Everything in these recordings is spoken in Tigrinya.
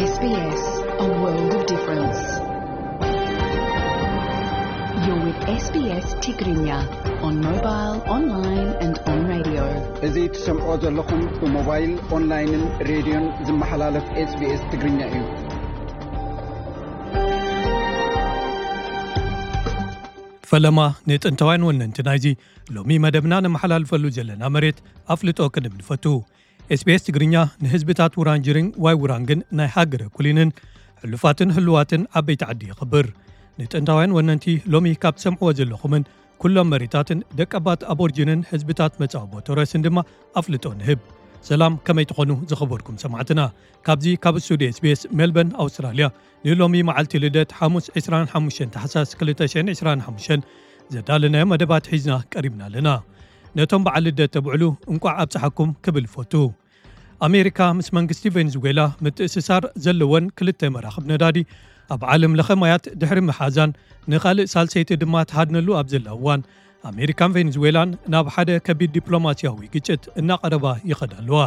S B S, a world of difference. You're with S B S Tigrinya on mobile, online and on radio. እዚ ትሰምዖ ዘለኹም ብሞባይል፣ ኦንላይንን ሬድዮን ዝመሓላለፍ SBS ትግርኛ እዩ። ፈለማ ንጥንታውያን ወነንቲ ናይዚ ሎሚ መደብና ነመሓላልፈሉ ዘለና መሬት ኣፍልጦ ክንብ ንፈቱ። SBS ትግርኛ ንህዝብታት ውራንጅሪን ዋይ ውራንግን ናይ ሃገረ ኩሊንን ሕሉፋትን ህሉዋትን ዓበይቲ ዓዲ የኽብር። ንጥንታውያን ወነንቲ ሎሚ ካብ ትሰምዕዎ ዘለኹምን ኩሎም መሬታትን ደቀባት ኣቦርጅንን ህዝብታት መጻወቦ ቶረስን ድማ ኣፍልጦ ንህብ። ሰላም፣ ከመይ ትኾኑ ዝኸበርኩም ሰማዕትና? ካብዚ ካብ ስቱድዮ SBS ሜልበርን ኣውስትራልያ ንሎሚ መዓልቲ ልደት ሓሙስ ዕስራን ሓሙሽተን ታሕሳስ ክልተ ሽሕን ዕስራን ሓሙሽተን ዘዳለናዮ መደባት ሒዝና ቀሪብና ኣለና። ነቶም በዓል ልደት ተብዕሉ እንቋዕ ኣብጽሓኩም ክብል ፈቱ። ኣሜሪካ ምስ መንግስቲ ቬንዙዌላ ምትእስሳር ዘለወን ክልተ መራኽብ ነዳዲ ኣብ ዓለም ለኸ ማያት ድሕሪ ምሓዛን ንኻልእ ሳልሰይቲ ድማ ትሃድነሉ ኣብ ዘላ እዋን፣ ኣሜሪካን ቬንዙዌላን ናብ ሓደ ከቢድ ዲፕሎማሲያዊ ግጭት እናቐረባ ይኸዳ ኣለዋ።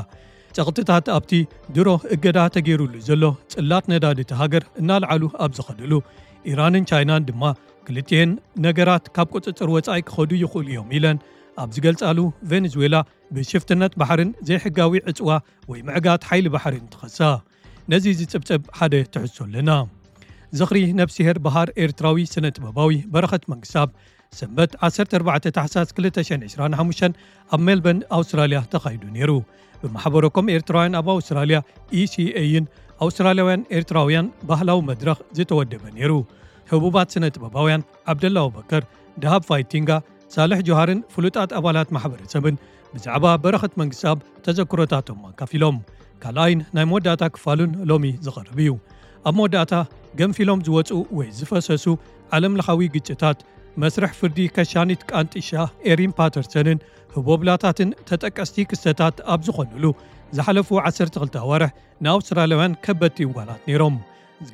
ጸቕጥታት ኣብቲ ድሮ እገዳ ተገይሩሉ ዘሎ ጽላት ነዳዲ እቲ ሃገር እናልዓሉ ኣብ ዝኸድሉ፣ ኢራንን ቻይናን ድማ ክልቲኤን ነገራት ካብ ቁጽጽር ወጻኢ ክኸዱ ይኽእሉ እዮም ኢለን ኣብ ዝገልጻሉ፣ ቬንዙዌላ ብሽፍትነት ባሕርን ዘይሕጋዊ ዕጽዋ ወይ ምዕጋት ሓይሊ ባሕርን ትኸሳ። ነዚ ዝጽብጽብ ሓደ ትሕዝቶ ኣለና። ዝኽሪ ነብስሄር በሃር ኤርትራዊ ስነ ጥበባዊ በረኸት መንግስታብ ሰንበት ዓሰርተ ኣርባዕተ ታሕሳስ ክልተ ሽሕን ዕስራን ሓሙሽተን ኣብ ሜልበርን ኣውስትራልያ ተኻይዱ ነይሩ። ብማሕበረኮም ኤርትራውያን ኣብ ኣውስትራልያ፣ ኢሲኤይን ኣውስትራልያውያን ኤርትራውያን ባህላዊ መድረኽ ዝተወደበ ነይሩ። ህቡባት ስነ ጥበባውያን ዓብደላ ኣቡበከር፣ ደሃብ ፋይቲንጋ፣ ሳልሕ ጆሃርን ፍሉጣት ኣባላት ማሕበረሰብን ብዛዕባ በረኸት መንግስታብ ተዘክሮታቶም ኣካፊሎም። ካልኣይን ናይ መወዳእታ ክፋሉን ሎሚ ዝቐርብ እዩ። ኣብ መወዳእታ፣ ገንፊሎም ዝወጹ ወይ ዝፈሰሱ ዓለም ለኻዊ ግጭታት፣ መስርሕ ፍርዲ ከሻኒት ቃንጢሻ ኤሪን ፓተርሰንን ህቦብላታትን ተጠቀስቲ ክስተታት ኣብ ዝኾኑሉ ዝሓለፉ ዓሰርተ ክልተ ኣዋርሕ ንኣውስትራልያውያን ከበድቲ እዋናት ነይሮም።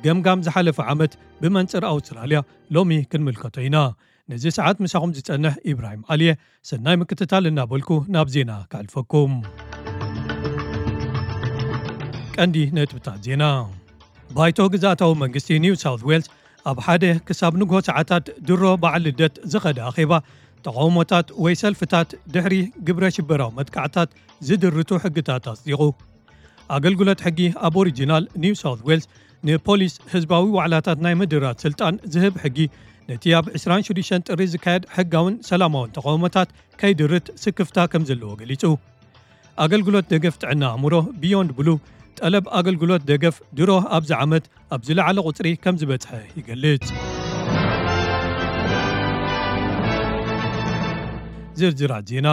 ገምጋም ዝሓለፈ ዓመት ብመንጽር ኣውስትራልያ ሎሚ ክንምልከቶ ኢና። ነዚ ሰዓት ምሳኹም ዝጸንሕ ኢብራሂም ዓሊየ፣ ሰናይ ምክትታል እናበልኩ ናብ ዜና ከሕልፈኩም። ቀንዲ ነጥብታት ዜና። ባይቶ ግዝኣታዊ መንግስቲ ኒው ሳውት ዌልስ ኣብ ሓደ ክሳብ ንግሆ ሰዓታት ድሮ በዓል ልደት ዝኸደ ኣኼባ ተቓውሞታት ወይ ሰልፍታት ድሕሪ ግብረ ሽበራዊ መጥቃዕታት ዝድርቱ ሕግታት ኣጽዲቑ። ኣገልግሎት ሕጊ ኣቦሪጂናል ኒው ሳውት ዌልስ ንፖሊስ ህዝባዊ ዋዕላታት ናይ ምድራት ስልጣን ዝህብ ሕጊ ነቲ ኣብ ዕስራን ሽዱሽተን ጥሪ ዝካየድ ሕጋውን ሰላማውን ተቓውሞታት ከይድርት ስክፍታ ከም ዘለዎ ገሊጹ። ኣገልግሎት ደገፍ ጥዕና ኣእምሮ ቢዮንድ ብሉ ጠለብ ኣገልግሎት ደገፍ ድሮ ኣብዚ ዓመት ኣብ ዝለዓለ ቁጽሪ ከም ዝበጽሐ ይገልጽ። ዝርዝራት ዜና።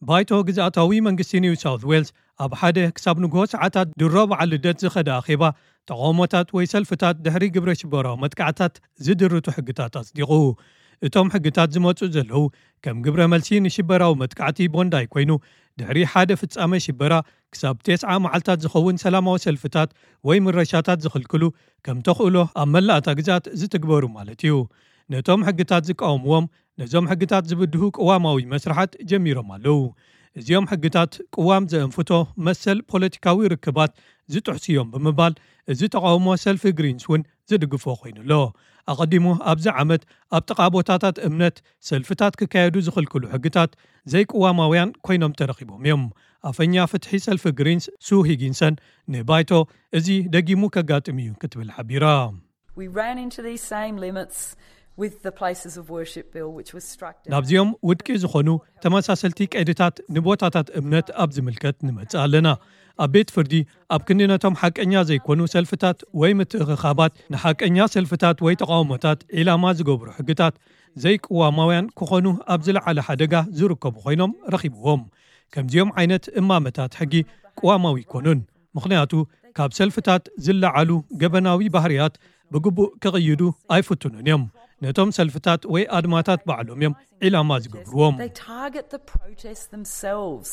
ባይቶ ግዝኣታዊ መንግስቲ ኒው ሳውት ዌልስ ኣብ ሓደ ክሳብ ንግሆ ሰዓታት ድሮ በዓል ልደት ዝኸደ ኣኼባ ተቓውሞታት ወይ ሰልፍታት ድሕሪ ግብረ ሽበራዊ መጥቃዕታት ዝድርቱ ሕግታት ኣጽዲቑ። እቶም ሕግታት ዝመጹ ዘለዉ ከም ግብረ መልሲ ንሽበራዊ መጥቃዕቲ ቦንዳይ ኮይኑ፣ ድሕሪ ሓደ ፍጻመ ሽበራ ክሳብ ተስዓ መዓልታት ዝኸውን ሰላማዊ ሰልፍታት ወይ ምረሻታት ዝኽልክሉ ከም ተኽእሎ ኣብ መላእታ ግዛት ዝትግበሩ ማለት እዩ። ነቶም ሕግታት ዝቃወምዎም ነዞም ሕግታት ዝብድሁ ቅዋማዊ መስርሓት ጀሚሮም ኣለዉ። እዚኦም ሕግታት ቅዋም ዘእንፍቶ መሰል ፖለቲካዊ ርክባት ዝጥሕሱ እዮም ብምባል፣ እዚ ተቓውሞ ሰልፊ ግሪንስ እውን ዝድግፎ ኮይኑ ኣሎ። ኣቐዲሙ ኣብዚ ዓመት ኣብ ጥቓ ቦታታት እምነት ሰልፍታት ክካየዱ ዝኽልክሉ ሕግታት ዘይቅዋማውያን ኮይኖም ተረኺቦም እዮም። ኣፈኛ ፍትሒ ሰልፊ ግሪንስ ሱ ሂጊንሰን ንባይቶ፣ "እዚ ደጊሙ ከጋጥም እዩ" ክትብል ሓቢራ። We ran into these same limits with the Places of Worship Bill, which was struck down. ናብዚኦም ውድቂ ዝኾኑ ተመሳሰልቲ ቀይድታት ንቦታታት እምነት ኣብ ዝምልከት ንመጽእ ኣለና። ኣብ ቤት ፍርዲ፣ ኣብ ክንዲ ነቶም ሓቀኛ ዘይኮኑ ሰልፍታት ወይ ምትእኽኻባት፣ ንሓቀኛ ሰልፍታት ወይ ተቓውሞታት ዒላማ ዝገብሩ ሕግታት ዘይቅዋማውያን ክኾኑ ኣብ ዝለዓለ ሓደጋ ዝርከቡ ኮይኖም ረኺብዎም። ከምዚኦም ዓይነት እማመታት ሕጊ ቅዋማዊ ይኮኑን፣ ምኽንያቱ ካብ ሰልፍታት ዝለዓሉ ገበናዊ ባህርያት ብግቡእ ክቕይዱ ኣይፍትኑን እዮም። ነቶም ሰልፍታት ወይ ኣድማታት ባዕሎም እዮም ዒላማ ዝገብርዎም። They target the protests themselves.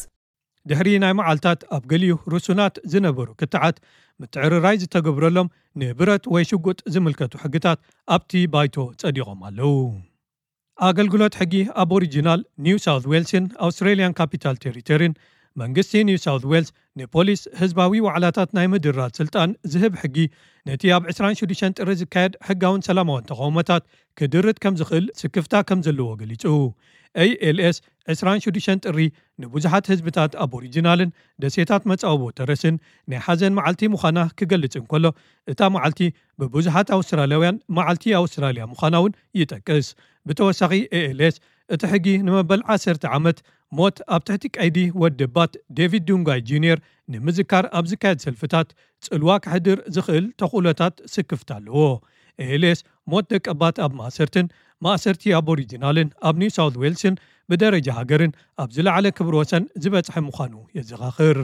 ድሕሪ ናይ መዓልታት ኣብ ገሊኡ ርሱናት ዝነበሩ ክትዓት ምትዕርራይ ዝተገብረሎም ንብረት ወይ ሽጉጥ ዝምልከቱ ሕግታት ኣብቲ ባይቶ ጸዲቖም ኣለዉ። ኣገልግሎት ሕጊ ኣቦሪጂናል ኒው ሳውት ዌልስን ኣውስትሬልያን ካፒታል ቴሪቶሪን መንግስቲ ኒው ሳውት ዌልስ ንፖሊስ ህዝባዊ ዋዕላታት ናይ ምድራት ስልጣን ዝህብ ሕጊ፣ ነቲ ኣብ ዕስራን ሽዱሽተን ጥሪ ዝካየድ ሕጋውን ሰላማውን ተቓውሞታት ክድርት ከም ዝኽእል ስክፍታ ከም ዘለዎ ገሊጹ። ኤ ኤል ኤስ ዕስራን ሽዱሽተን ጥሪ ንብዙሓት ህዝብታት ኣቦሪጂናልን ደሴታት መጻወቦ ተረስን ናይ ሓዘን መዓልቲ ምዃና ክገልጽ እንከሎ፣ እታ መዓልቲ ብብዙሓት ኣውስትራልያውያን መዓልቲ ኣውስትራልያ ምዃና እውን ይጠቅስ። ብተወሳኺ ኤ ኤል ኤስ እቲ ሕጊ ንመበል ዓሰርተ ዓመት ሞት ኣብ ትሕቲ ቀይዲ ወደባት ዴቪድ ዱንጋይ ጁኒየር ንምዝካር ኣብ ዝካየድ ሰልፍታት ጽልዋ ከሕድር ዝኽእል ተኽእሎታት ስክፍታ ኣለዎ። ኤ ኤል ኤስ ሞት ደቀባት ኣብ ማእሰርትን ማእሰርቲ ኣቦሪጂናልን ኣብ ኒው ሳውት ዌልስን ብደረጃ ሃገርን ኣብ ዝለዓለ ክብሪ ወሰን ዝበጽሐ ምዃኑ የዘኻኽር።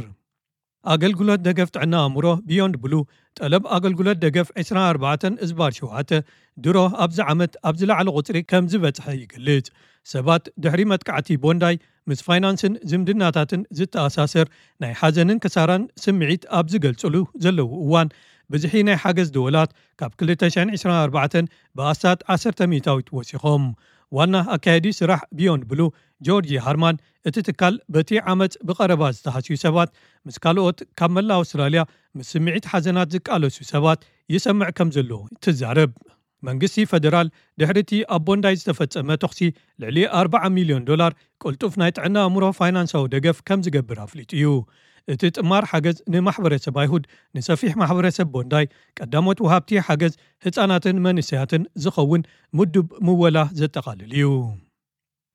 ኣገልግሎት ደገፍ ጥዕና ኣእምሮ ቢዮንድ ብሉ፣ ጠለብ ኣገልግሎት ደገፍ ዕስራን ኣርባዕተን እዝባር ሸውዓተ ድሮ ኣብዚ ዓመት ኣብ ዝለዓለ ቁጽሪ ከም ዝበጽሐ ይገልጽ። ሰባት ድሕሪ መጥቃዕቲ ቦንዳይ ምስ ፋይናንስን ዝምድናታትን ዝተኣሳሰር ናይ ሓዘንን ክሳራን ስምዒት ኣብ ዝገልጽሉ ዘለዉ እዋን፣ ብዝሒ ናይ ሓገዝ ደወላት ካብ ክልተ ሽሕን ዕስራን ኣርባዕተን ብኣስታት ዓሰርተ ሚእታዊት ወሲኾም። ዋና ኣካያዲ ስራሕ ቢዮንድ ብሉ ጆርጂ ሃርማን፣ እቲ ትካል በቲ ዓመጽ ብቐረባ ዝተሃስዩ ሰባት፣ ምስ ካልኦት ካብ መላእ ኣውስትራልያ ምስ ስምዒት ሓዘናት ዝቃለሱ ሰባት ይሰምዕ ከም ዘሎ ትዛረብ። መንግስቲ ፈደራል ድሕሪ እቲ ኣብ ቦንዳይ ዝተፈጸመ ተኹሲ ልዕሊ ኣርባዓ ሚልዮን ዶላር ቅልጡፍ ናይ ጥዕና ኣእምሮ ፋይናንሳዊ ደገፍ ከም ዝገብር ኣፍሊጡ እዩ። እቲ ጥማር ሓገዝ ንማሕበረሰብ ኣይሁድ፣ ንሰፊሕ ማሕበረሰብ ቦንዳይ፣ ቀዳሞት ወሃብቲ ሓገዝ፣ ህጻናትን መንእሰያትን ዝኸውን ምዱብ ምወላ ዘጠቓልል እዩ።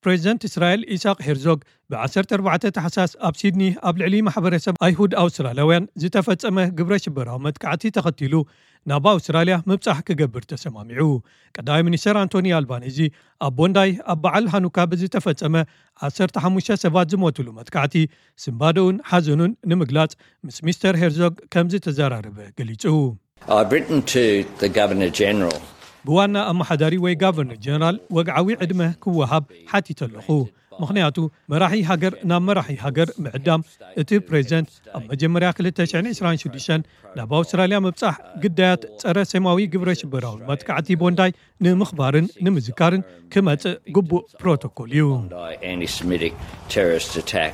ፕሬዚደንት እስራኤል ኢሳቅ ሄርዞግ ብ ዓሰርተ ኣርባዕተ ታሕሳስ ኣብ ሲድኒ ኣብ ልዕሊ ማሕበረሰብ ኣይሁድ ኣውስትራልያውያን ዝተፈጸመ ግብረ ሽበራዊ መጥቃዕቲ ተኸቲሉ ናብ ኣውስትራልያ ምብጻሕ ክገብር ተሰማሚዑ። ቀዳማይ ሚኒስተር ኣንቶኒ ኣልባኒዚ ኣብ ቦንዳይ ኣብ በዓል ሃኑካ ብዝተፈጸመ ዓሰርተ ሓሙሽተ ሰባት ዝሞትሉ መጥቃዕቲ ስንባደኡን ሓዘኑን ንምግላጽ ምስ ሚስተር ሄርዞግ ከም ዝተዘራረበ ገሊጹ። I've written to the Governor General. ብዋና ኣመሓዳሪ ወይ ጋቨርነር ጀነራል ወግዓዊ ዕድመ ክወሃብ ሓቲተ ኣለኹ። ምኽንያቱ መራሒ ሃገር ናብ መራሒ ሃገር ምዕዳም፣ እቲ ፕሬዚደንት ኣብ መጀመርያ ክልተ ሽሕን ዕስራን ሽዱሽተን ናብ ኣውስትራልያ ምብጻሕ ግዳያት ጸረ ሴማዊ ግብረ ሽበራዊ መጥቃዕቲ ቦንዳይ ንምኽባርን ንምዝካርን ክመጽእ ግቡእ ፕሮቶኮል እዩ። Anti-Semitic terrorist attack.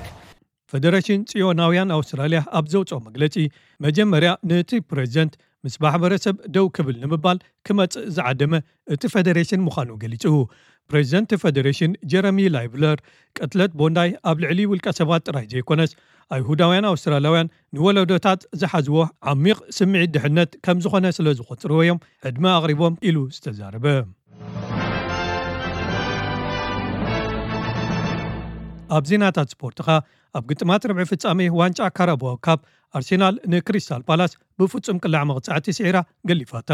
ፈደሬሽን ጽዮናውያን ኣውስትራልያ ኣብ ዘውጽኦ መግለጺ፣ መጀመርያ ነቲ ፕሬዚደንት ምስ ማሕበረሰብ ደው ክብል ንምባል ክመጽእ ዝዓደመ እቲ ፈደሬሽን ምዃኑ ገሊጹ። ፕሬዚደንት ፈደሬሽን ጀረሚ ላይብለር፣ ቅትለት ቦንዳይ ኣብ ልዕሊ ውልቀ ሰባት ጥራይ ዘይኮነስ ኣይሁዳውያን ኣውስትራልያውያን ንወለዶታት ዝሓዝዎ ዓሚቕ ስምዒት ድሕነት ከም ዝኾነ ስለ ዝቖጽርዎ እዮም ዕድመ ኣቕሪቦም ኢሉ ዝተዛረበ። ኣብ ዜናታት ስፖርትኻ፣ ኣብ ግጥማት ርብዒ ፍጻሜ ዋንጫ ካራባኦ ካፕ ኣርሴናል ንክሪስታል ፓላስ ብፍጹም ቅላዕ መቕጻዕቲ ስዒራ ገሊፋታ።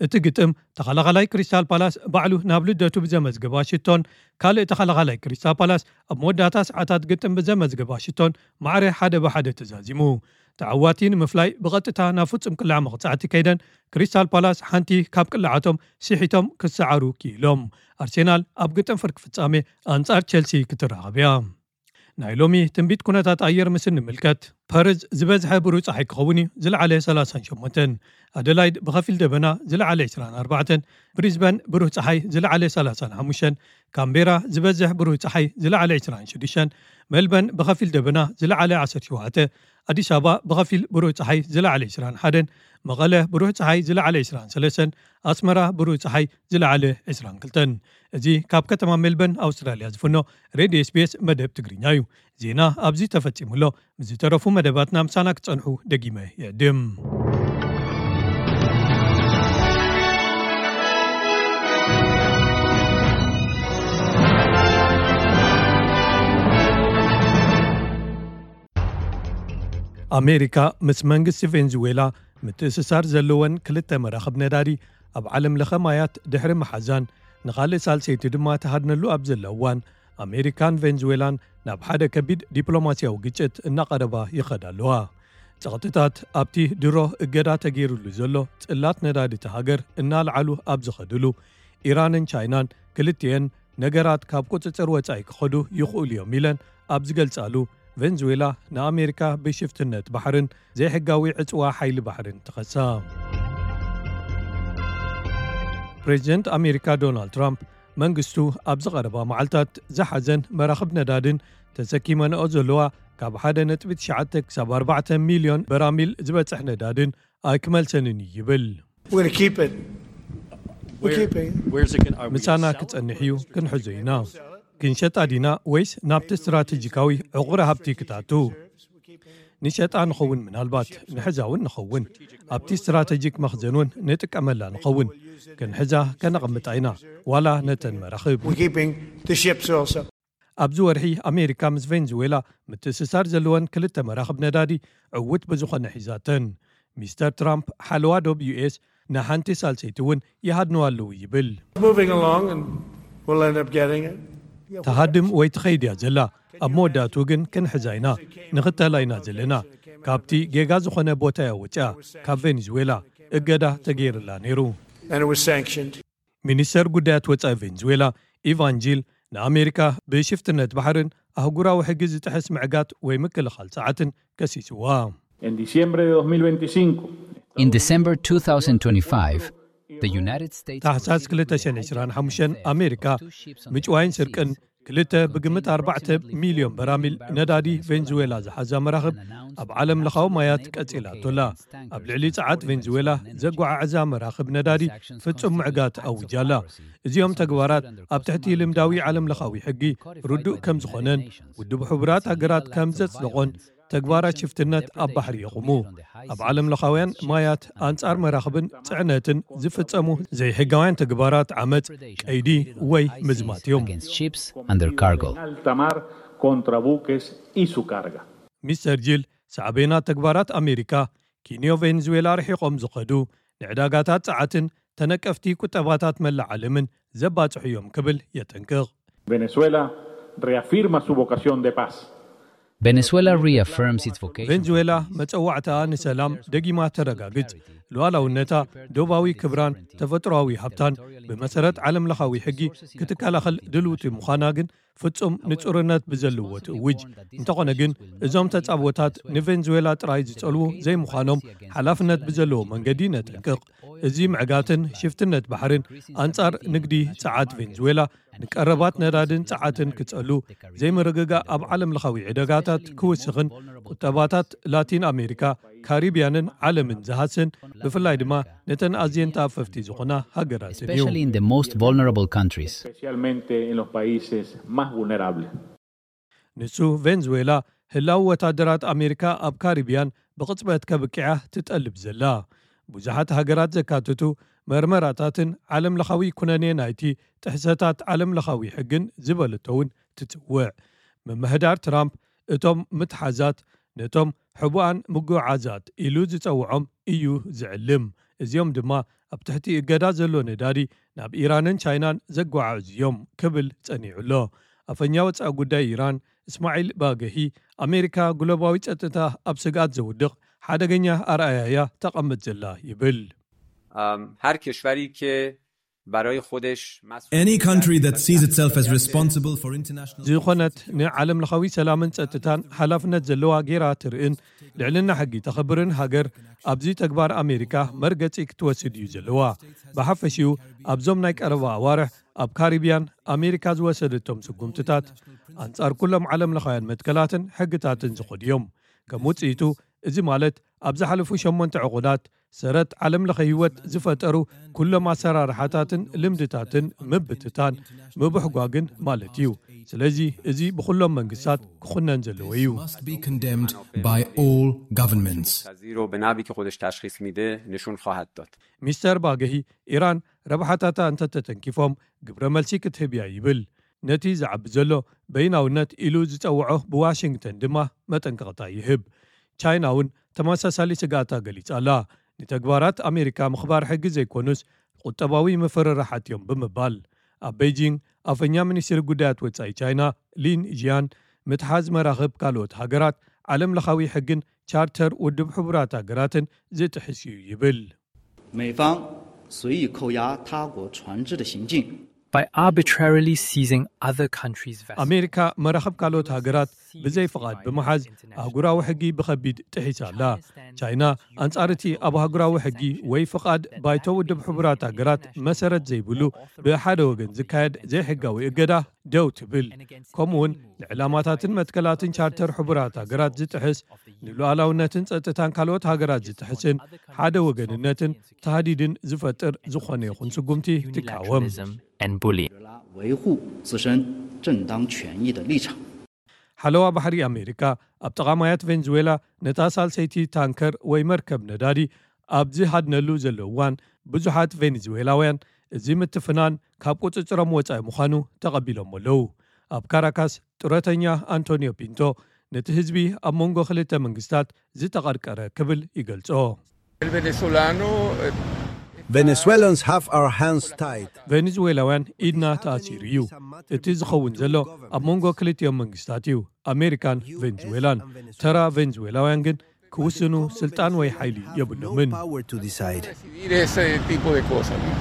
እቲ ግጥም ተኸላኻላይ ክሪስታል ፓላስ ባዕሉ ናብ ልደቱ ብዘመዝገባ ሽቶን ካልእ ተኸላኻላይ ክሪስታል ፓላስ ኣብ መወዳእታ ሰዓታት ግጥም ብዘመዝገባ ሽቶን ማዕረ ሓደ ብሓደ ተዛዚሙ። ተዓዋቲ ንምፍላይ ብቐጥታ ናብ ፍጹም ቅላዕ መቕጻዕቲ ከይደን ክሪስታል ፓላስ ሓንቲ ካብ ቅላዓቶም ስሒቶም ክሰዓሩ ክኢሎም። ኣርሴናል ኣብ ግጥም ፍርቂ ፍጻሜ ኣንጻር ቸልሲ ክትራኸብ እያ። ናይ ሎሚ ትንቢት ኩነታት ኣየር ምስ እንምልከት፣ ፐርዝ ዝበዝሐ ብሩህ ጸሓይ ክኸውን እዩ፣ ዝለዓለ ሰላሳን ሸሞንተን። ኣደላይድ ብኸፊል ደበና፣ ዝለዓለ ዕስራን ኣርባዕተን። ብሪዝበን ብሩህ ጸሓይ፣ ዝለዓለ ሰላሳን ሓሙሽተን። ካምቤራ ዝበዝሕ ብሩህ ጸሓይ፣ ዝለዓለ ዕስራን ሽዱሽተን። ሜልበን ብኸፊል ደበና፣ ዝለዓለ ዓሰርተ ሸውዓተ። ኣዲስ ኣበባ ብኸፊል ብሩህ ጸሓይ፣ ዝለዓለ ዕስራን ሓደን። መቐለ ብሩህ ጸሓይ፣ ዝለዓለ ዕስራን ሰለስተን። ኣስመራ ብሩህ ጸሓይ፣ ዝለዓለ ዕስራን ክልተን። እዚ ካብ ከተማ ሜልበን ኣውስትራልያ ዝፍኖ ሬድዮ ኤስ ቢ ኤስ መደብ ትግርኛ እዩ። ዜና ኣብዚ ተፈጺሙ ኣሎ። ምስ ዝተረፉ መደባትና ምሳና ክጸንሑ ደጊመ ይዕድም። ኣሜሪካ ምስ መንግስቲ ቬንዙዌላ ምትእስሳር ዘለወን ክልተ መራኽብ ነዳዲ ኣብ ዓለም ለኸ ማያት ድሕሪ ምሓዛን ንኻልእ ሳልሰይቲ ድማ ትሃድነሉ ኣብ ዘላ እዋን፣ ኣሜሪካን ቬንዙዌላን ናብ ሓደ ከቢድ ዲፕሎማስያዊ ግጭት እናቐረባ ይኸዳ ኣለዋ። ጸቕጥታት ኣብቲ ድሮ እገዳ ተገይሩሉ ዘሎ ጽላት ነዳዲ እታ ሃገር እናልዓሉ ኣብ ዝኸድሉ፣ ኢራንን ቻይናን ክልቲኤን ነገራት ካብ ቁጽጽር ወጻኢ ክኸዱ ይኽእሉ እዮም ኢለን ኣብ ዝገልጻሉ፣ ቬንዙዌላ ንኣሜሪካ ብሽፍትነት ባሕርን ዘይሕጋዊ ዕጽዋ ሓይሊ ባሕርን ትኸሳ። ፕሬዚደንት ኣሜሪካ ዶናልድ ትራምፕ መንግስቱ ኣብ ዝቐረባ መዓልታት ዝሓዘን መራኽብ ነዳድን ተሰኪመንኦ ዘለዋ ካብ ሓደ ነጥቢ ትሽዓተ ክሳብ ኣርባዕተ ሚልዮን በራሚል ዝበጽሕ ነዳድን ኣይክመልሰንን እዩ ይብል። We're going to keep it. We're keeping. Where's it going? Are we ምሳና gonna sell it? ክጸንሕ እዩ፣ ክንሕዞ ኢና። ክንሸጣ ዲና ወይስ ናብቲ ስትራቴጂካዊ ዕቑሪ ሃብቲ ክትኣቱ? ንሸጣ ንኸውን፣ ምናልባት ንሕዛ እውን ንኸውን። ኣብቲ ስትራቴጂክ መኽዘን እውን ንጥቀመላ ንኸውን። ክንሕዛ ከነቐምጣ ኢና፣ ዋላ ነተን መራኽብ። We're keeping the ships also. ኣብዚ ወርሒ ኣሜሪካ ምስ ቬንዙዌላ ምትእስሳር ዘለወን ክልተ መራኽብ ነዳዲ ዕውት ብዝኾነ ሒዛተን። ሚስተር ትራምፕ ሓለዋ ዶብ ዩ ኤስ ንሓንቲ ሳልሰይቲ እውን ይሃድንዋ ኣለዉ ይብል። Moving along, and we'll end up getting it. ተሃድም ወይ ትኸይድ እያ ዘላ። ኣብ መወዳእቱ ግን ክንሕዛ ኢና፣ ንኽተላ ኢና ዘለና። ካብቲ ጌጋ ዝኾነ ቦታ እያ ወፂኣ፣ ካብ ቬንዙዌላ እገዳ ተገይርላ ነይሩ። And it was sanctioned. ሚኒስተር ጉዳያት ወፃኢ ቬንዙዌላ ኢቫን ጂል ንኣሜሪካ ብሽፍትነት ባሕርን ኣህጉራዊ ሕጊ ዝጥሕስ ምዕጋት ወይ ምክልኻል ሰዓትን ከሲስዋ። En diciembre de dos mil veinticinco, In December two thousand twenty-five, the United States ታሕሳስ ክልተ ሽሕን ዕስራን ሓሙሽተን ኣሜሪካ ምጭዋይን ስርቅን ክልተ ብግምት ኣርባዕተ ሚልዮን በራሚል ነዳዲ ቬንዙዌላ ዝሓዛ መራኽብ ኣብ ዓለም ለኻዊ ማያት ቀጺላቶላ። ኣብ ልዕሊ ጸዓት ቬንዙዌላ ዘጓዓዕዛ መራኽብ ነዳዲ ፍጹም ምዕጋት ኣውጃላ። እዚኦም ተግባራት ኣብ ትሕቲ ልምዳዊ ዓለም ለኻዊ ሕጊ ርዱእ ከም ዝኾነን ውድብ ሕቡራት ሃገራት ከም ዘጽደቖን ተግባራት ሽፍትነት ኣብ ባሕሪ የቑሙ። ኣብ ዓለም ለኻውያን ማያት ኣንጻር መራኽብን ጽዕነትን ዝፍጸሙ ዘይሕጋውያን ተግባራት ዓመጽ፣ ቀይዲ ወይ ምዝማት እዮም። Against ships and their cargo. En alta mar contra buques y su carga. ሚስተር ጂል ሳዕቤናት ተግባራት ኣሜሪካ ኪንዮ ቬንዙዌላ ርሒቖም ዝኸዱ ንዕዳጋታት ጸዓትን ተነቀፍቲ ቁጠባታት መላእ ዓለምን ዘባጽሑ እዮም ክብል የጠንቅቕ። Venezuela reafirma su vocación de paz. Venezuela reaffirms its vocation. ቬንዙዌላ መጸዋዕታኣ ንሰላም ደጊማ ተረጋግጽ፣ ሉዓላውነታ፣ ዶባዊ ክብራን ተፈጥሮኣዊ ሃብታን ብመሰረት ዓለም ለኻዊ ሕጊ ክትከላኸል ድልውቲ ምዃና ግን ፍጹም ንጹርነት ብዘለዎ ትእውጅ። እንተኾነ ግን እዞም ተጻብኦታት ንቬንዙዌላ ጥራይ ዝጸልዉ ዘይምዃኖም ሓላፍነት ብዘለዎ መንገዲ ነጠንቅቕ። እዚ ምዕጋትን ሽፍትነት ባሕርን ኣንጻር ንግዲ ጸዓት ቬንዙዌላ ንቀረባት ነዳድን ጸዓትን ክጸሉ፣ ዘይምርግጋእ ኣብ ዓለም ለኻዊ ዕዳጋታት ክውስኽን ቁጠባታት ላቲን ኣሜሪካ፣ ካሪብያንን ዓለምን ዝሃስን፣ ብፍላይ ድማ ነተን ኣዝየን ተኣፈፍቲ ዝኾና ሃገራትን እዩ። Especially in the most vulnerable countries. Especialmente en los países más vulnerables. ንሱ ቬንዙዌላ ህላው ወታደራት ኣሜሪካ ኣብ ካሪብያን ብቕጽበት ከብቅዓ ትጠልብ ዘላ። ብዙሓት ሃገራት ዘካትቱ መርመራታትን ዓለም ለኻዊ ኩነኔ ናይቲ ጥሕሰታት ዓለም ለኻዊ ሕግን ዝበለቶ እውን ትጽውዕ። ምምሕዳር ትራምፕ እቶም ምትሓዛት ነቶም ሕቡኣን ምጉዓዛት ኢሉ ዝጸውዖም እዩ ዝዕልም። እዚኦም ድማ ኣብ ትሕቲ እገዳ ዘሎ ነዳዲ ናብ ኢራንን ቻይናን ዘጓዓዕዙ እዮም ክብል ጸኒዑ ኣሎ። ኣፈኛ ወጻኢ ጉዳይ ኢራን እስማዒል ባገሂ ኣሜሪካ ግሎባዊ ጸጥታ ኣብ ስግኣት ዘውድቕ ሓደገኛ ኣርኣያ እያ ተቐምጥ ዘላ ይብል። ام، هر کشوری که برای خودش مسئول Any country that sees itself as responsible for international ዝኾነት ንዓለም ለኻዊ ሰላምን ጸጥታን ሓላፍነት ዘለዋ ጌራ ትርእን ልዕልና ሕጊ ተኽብርን ሃገር ኣብዚ ተግባር ኣሜሪካ መርገጺ ክትወስድ እዩ ዘለዋ። ብሓፈሽኡ ኣብዞም ናይ ቀረባ ኣዋርሕ ኣብ ካሪብያን ኣሜሪካ ዝወሰደቶም ስጉምትታት ኣንጻር ኩሎም ዓለም ለኻውያን መትከላትን ሕግታትን ዝኾዱ እዮም። ከም ውጽኢቱ እዚ ማለት ኣብ ዝሓለፉ ሸሞንተ ዕቑዳት ሰረት ዓለም ለኸ ህይወት ዝፈጠሩ ኩሎም ኣሰራርሓታትን ልምድታትን ምብትታን ምብሕጓግን ማለት እዩ። ስለዚ እዚ ብኹሎም መንግስታት ክኹነን ዘለዎ እዩ። must be condemned by all governments. پذیر رو به نحوی که خودش تشخیص میده نشون خواهد داد. ሚስተር ባገሂ ኢራን ረብሓታታ እንተተተንኪፎም ግብረ መልሲ ክትህብ እያ ይብል። ነቲ ዝዓቢ ዘሎ በይናውነት ኢሉ ዝጸውዖ ብዋሽንግተን ድማ መጠንቀቕታ ይህብ። ቻይና እውን ተመሳሳሊ ስግኣታ ገሊጻ ኣላ። ንተግባራት ኣሜሪካ ምኽባር ሕጊ ዘይኮኑስ ቁጠባዊ ምፍርራሓት እዮም ብምባል ኣብ ቤጂንግ ኣፈኛ ሚኒስትሪ ጉዳያት ወጻኢ ቻይና ሊን ዥያን ምትሓዝ መራኽብ ካልኦት ሃገራት ዓለም ለኻዊ ሕግን ቻርተር ውድብ ሕቡራት ሃገራትን ዝጥሕስ እዩ ይብል። 美方随意扣押他国船只的行径， by arbitrarily seizing other countries' vessels. ኣሜሪካ መራኽብ ካልኦት ሃገራት ብዘይ ፍቓድ ብምሓዝ ኣህጉራዊ ሕጊ ብኸቢድ ጥሒሳ ኣላ። ቻይና ኣንጻር እቲ ኣብ ኣህጉራዊ ሕጊ ወይ ፍቓድ ባይቶ ውድብ ሕቡራት ሃገራት መሰረት ዘይብሉ ብሓደ ወገን ዝካየድ ዘይሕጋዊ እገዳ ደው ትብል። ከምኡውን ንዕላማታትን መትከላትን ቻርተር ሕቡራት ሃገራት ዝጥሕስ፣ ንሉዓላውነትን ጸጥታን ካልኦት ሃገራት ዝጥሕስን ሓደ ወገንነትን ታህዲድን ዝፈጥር ዝኾነ ይኹን ስጉምቲ ትቃወም። And bully. 维护自身正当权益的立场。 ሓለዋ ባሕሪ ኣሜሪካ ኣብ ጠቓማያት ቬንዙዌላ ነታ ሳልሰይቲ ታንከር ወይ መርከብ ነዳዲ ኣብ ዝሃድነሉ ዘሎ እዋን ብዙሓት ቬንዙዌላውያን እዚ ምትፍናን ካብ ቁጽጽሮም ወጻኢ ምዃኑ ተቐቢሎሞ ኣለዉ። ኣብ ካራካስ ጡረተኛ ኣንቶኒዮ ፒንቶ ነቲ ህዝቢ ኣብ መንጎ ክልተ መንግስታት ዝተቐርቀረ ክብል ይገልጾ። El venezolano eh, Venezuelans have our hands tied. ቬኔዙዌላውያን ኢድና ተኣሲሩ እዩ። እቲ ዝኸውን ዘሎ ኣብ መንጎ ክልቲኦም መንግስታት እዩ፣ ኣሜሪካን ቬንዙዌላን። ተራ ቬንዙዌላውያን ግን ክውስኑ ስልጣን ወይ ሓይሊ የብሎምን። Power to decide. Decidir ese tipo de cosas. ¿No?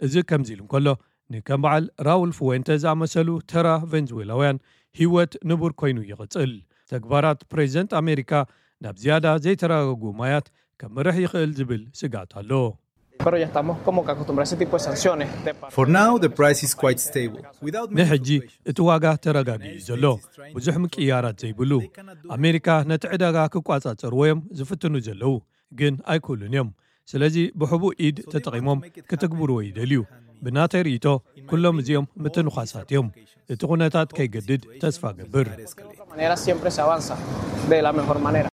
እዚ ከምዚ ኢሉ እንከሎ፣ ንከም በዓል ራውል ፍዌንተ ዝኣመሰሉ ተራ ቬንዙዌላውያን ህይወት ንቡር ኮይኑ ይቕጽል። ተግባራት ፕሬዚደንት ኣሜሪካ ናብ ዝያዳ ዘይተረጋግኡ ማያት ከምርሕ ይኽእል ዝብል ስግኣት ኣሎ። Pero ya estamos como que acostumbrados a ese tipo de sanciones. De parte For now, the price is quite stable. Without many ንሕጂ fluctuations. እቲ ዋጋ ተረጋጊኡ እዩ ዘሎ፣ ብዙሕ ምቅያራት ዘይብሉ። ኣሜሪካ ነቲ ዕዳጋ ክቋጻጸርዎ እዮም ዝፍትኑ ዘለዉ፣ ግን ኣይክእሉን እዮም። ስለዚ ብሕቡእ ኢድ ተጠቒሞም ክትግብርዎ ይደልዩ። ብናተይ ርእይቶ፣ ኩሎም እዚኦም ምትንዃሳት እዮም። እቲ ኩነታት ከይገድድ ተስፋ ገብር። De otra manera siempre se avanza de la mejor manera.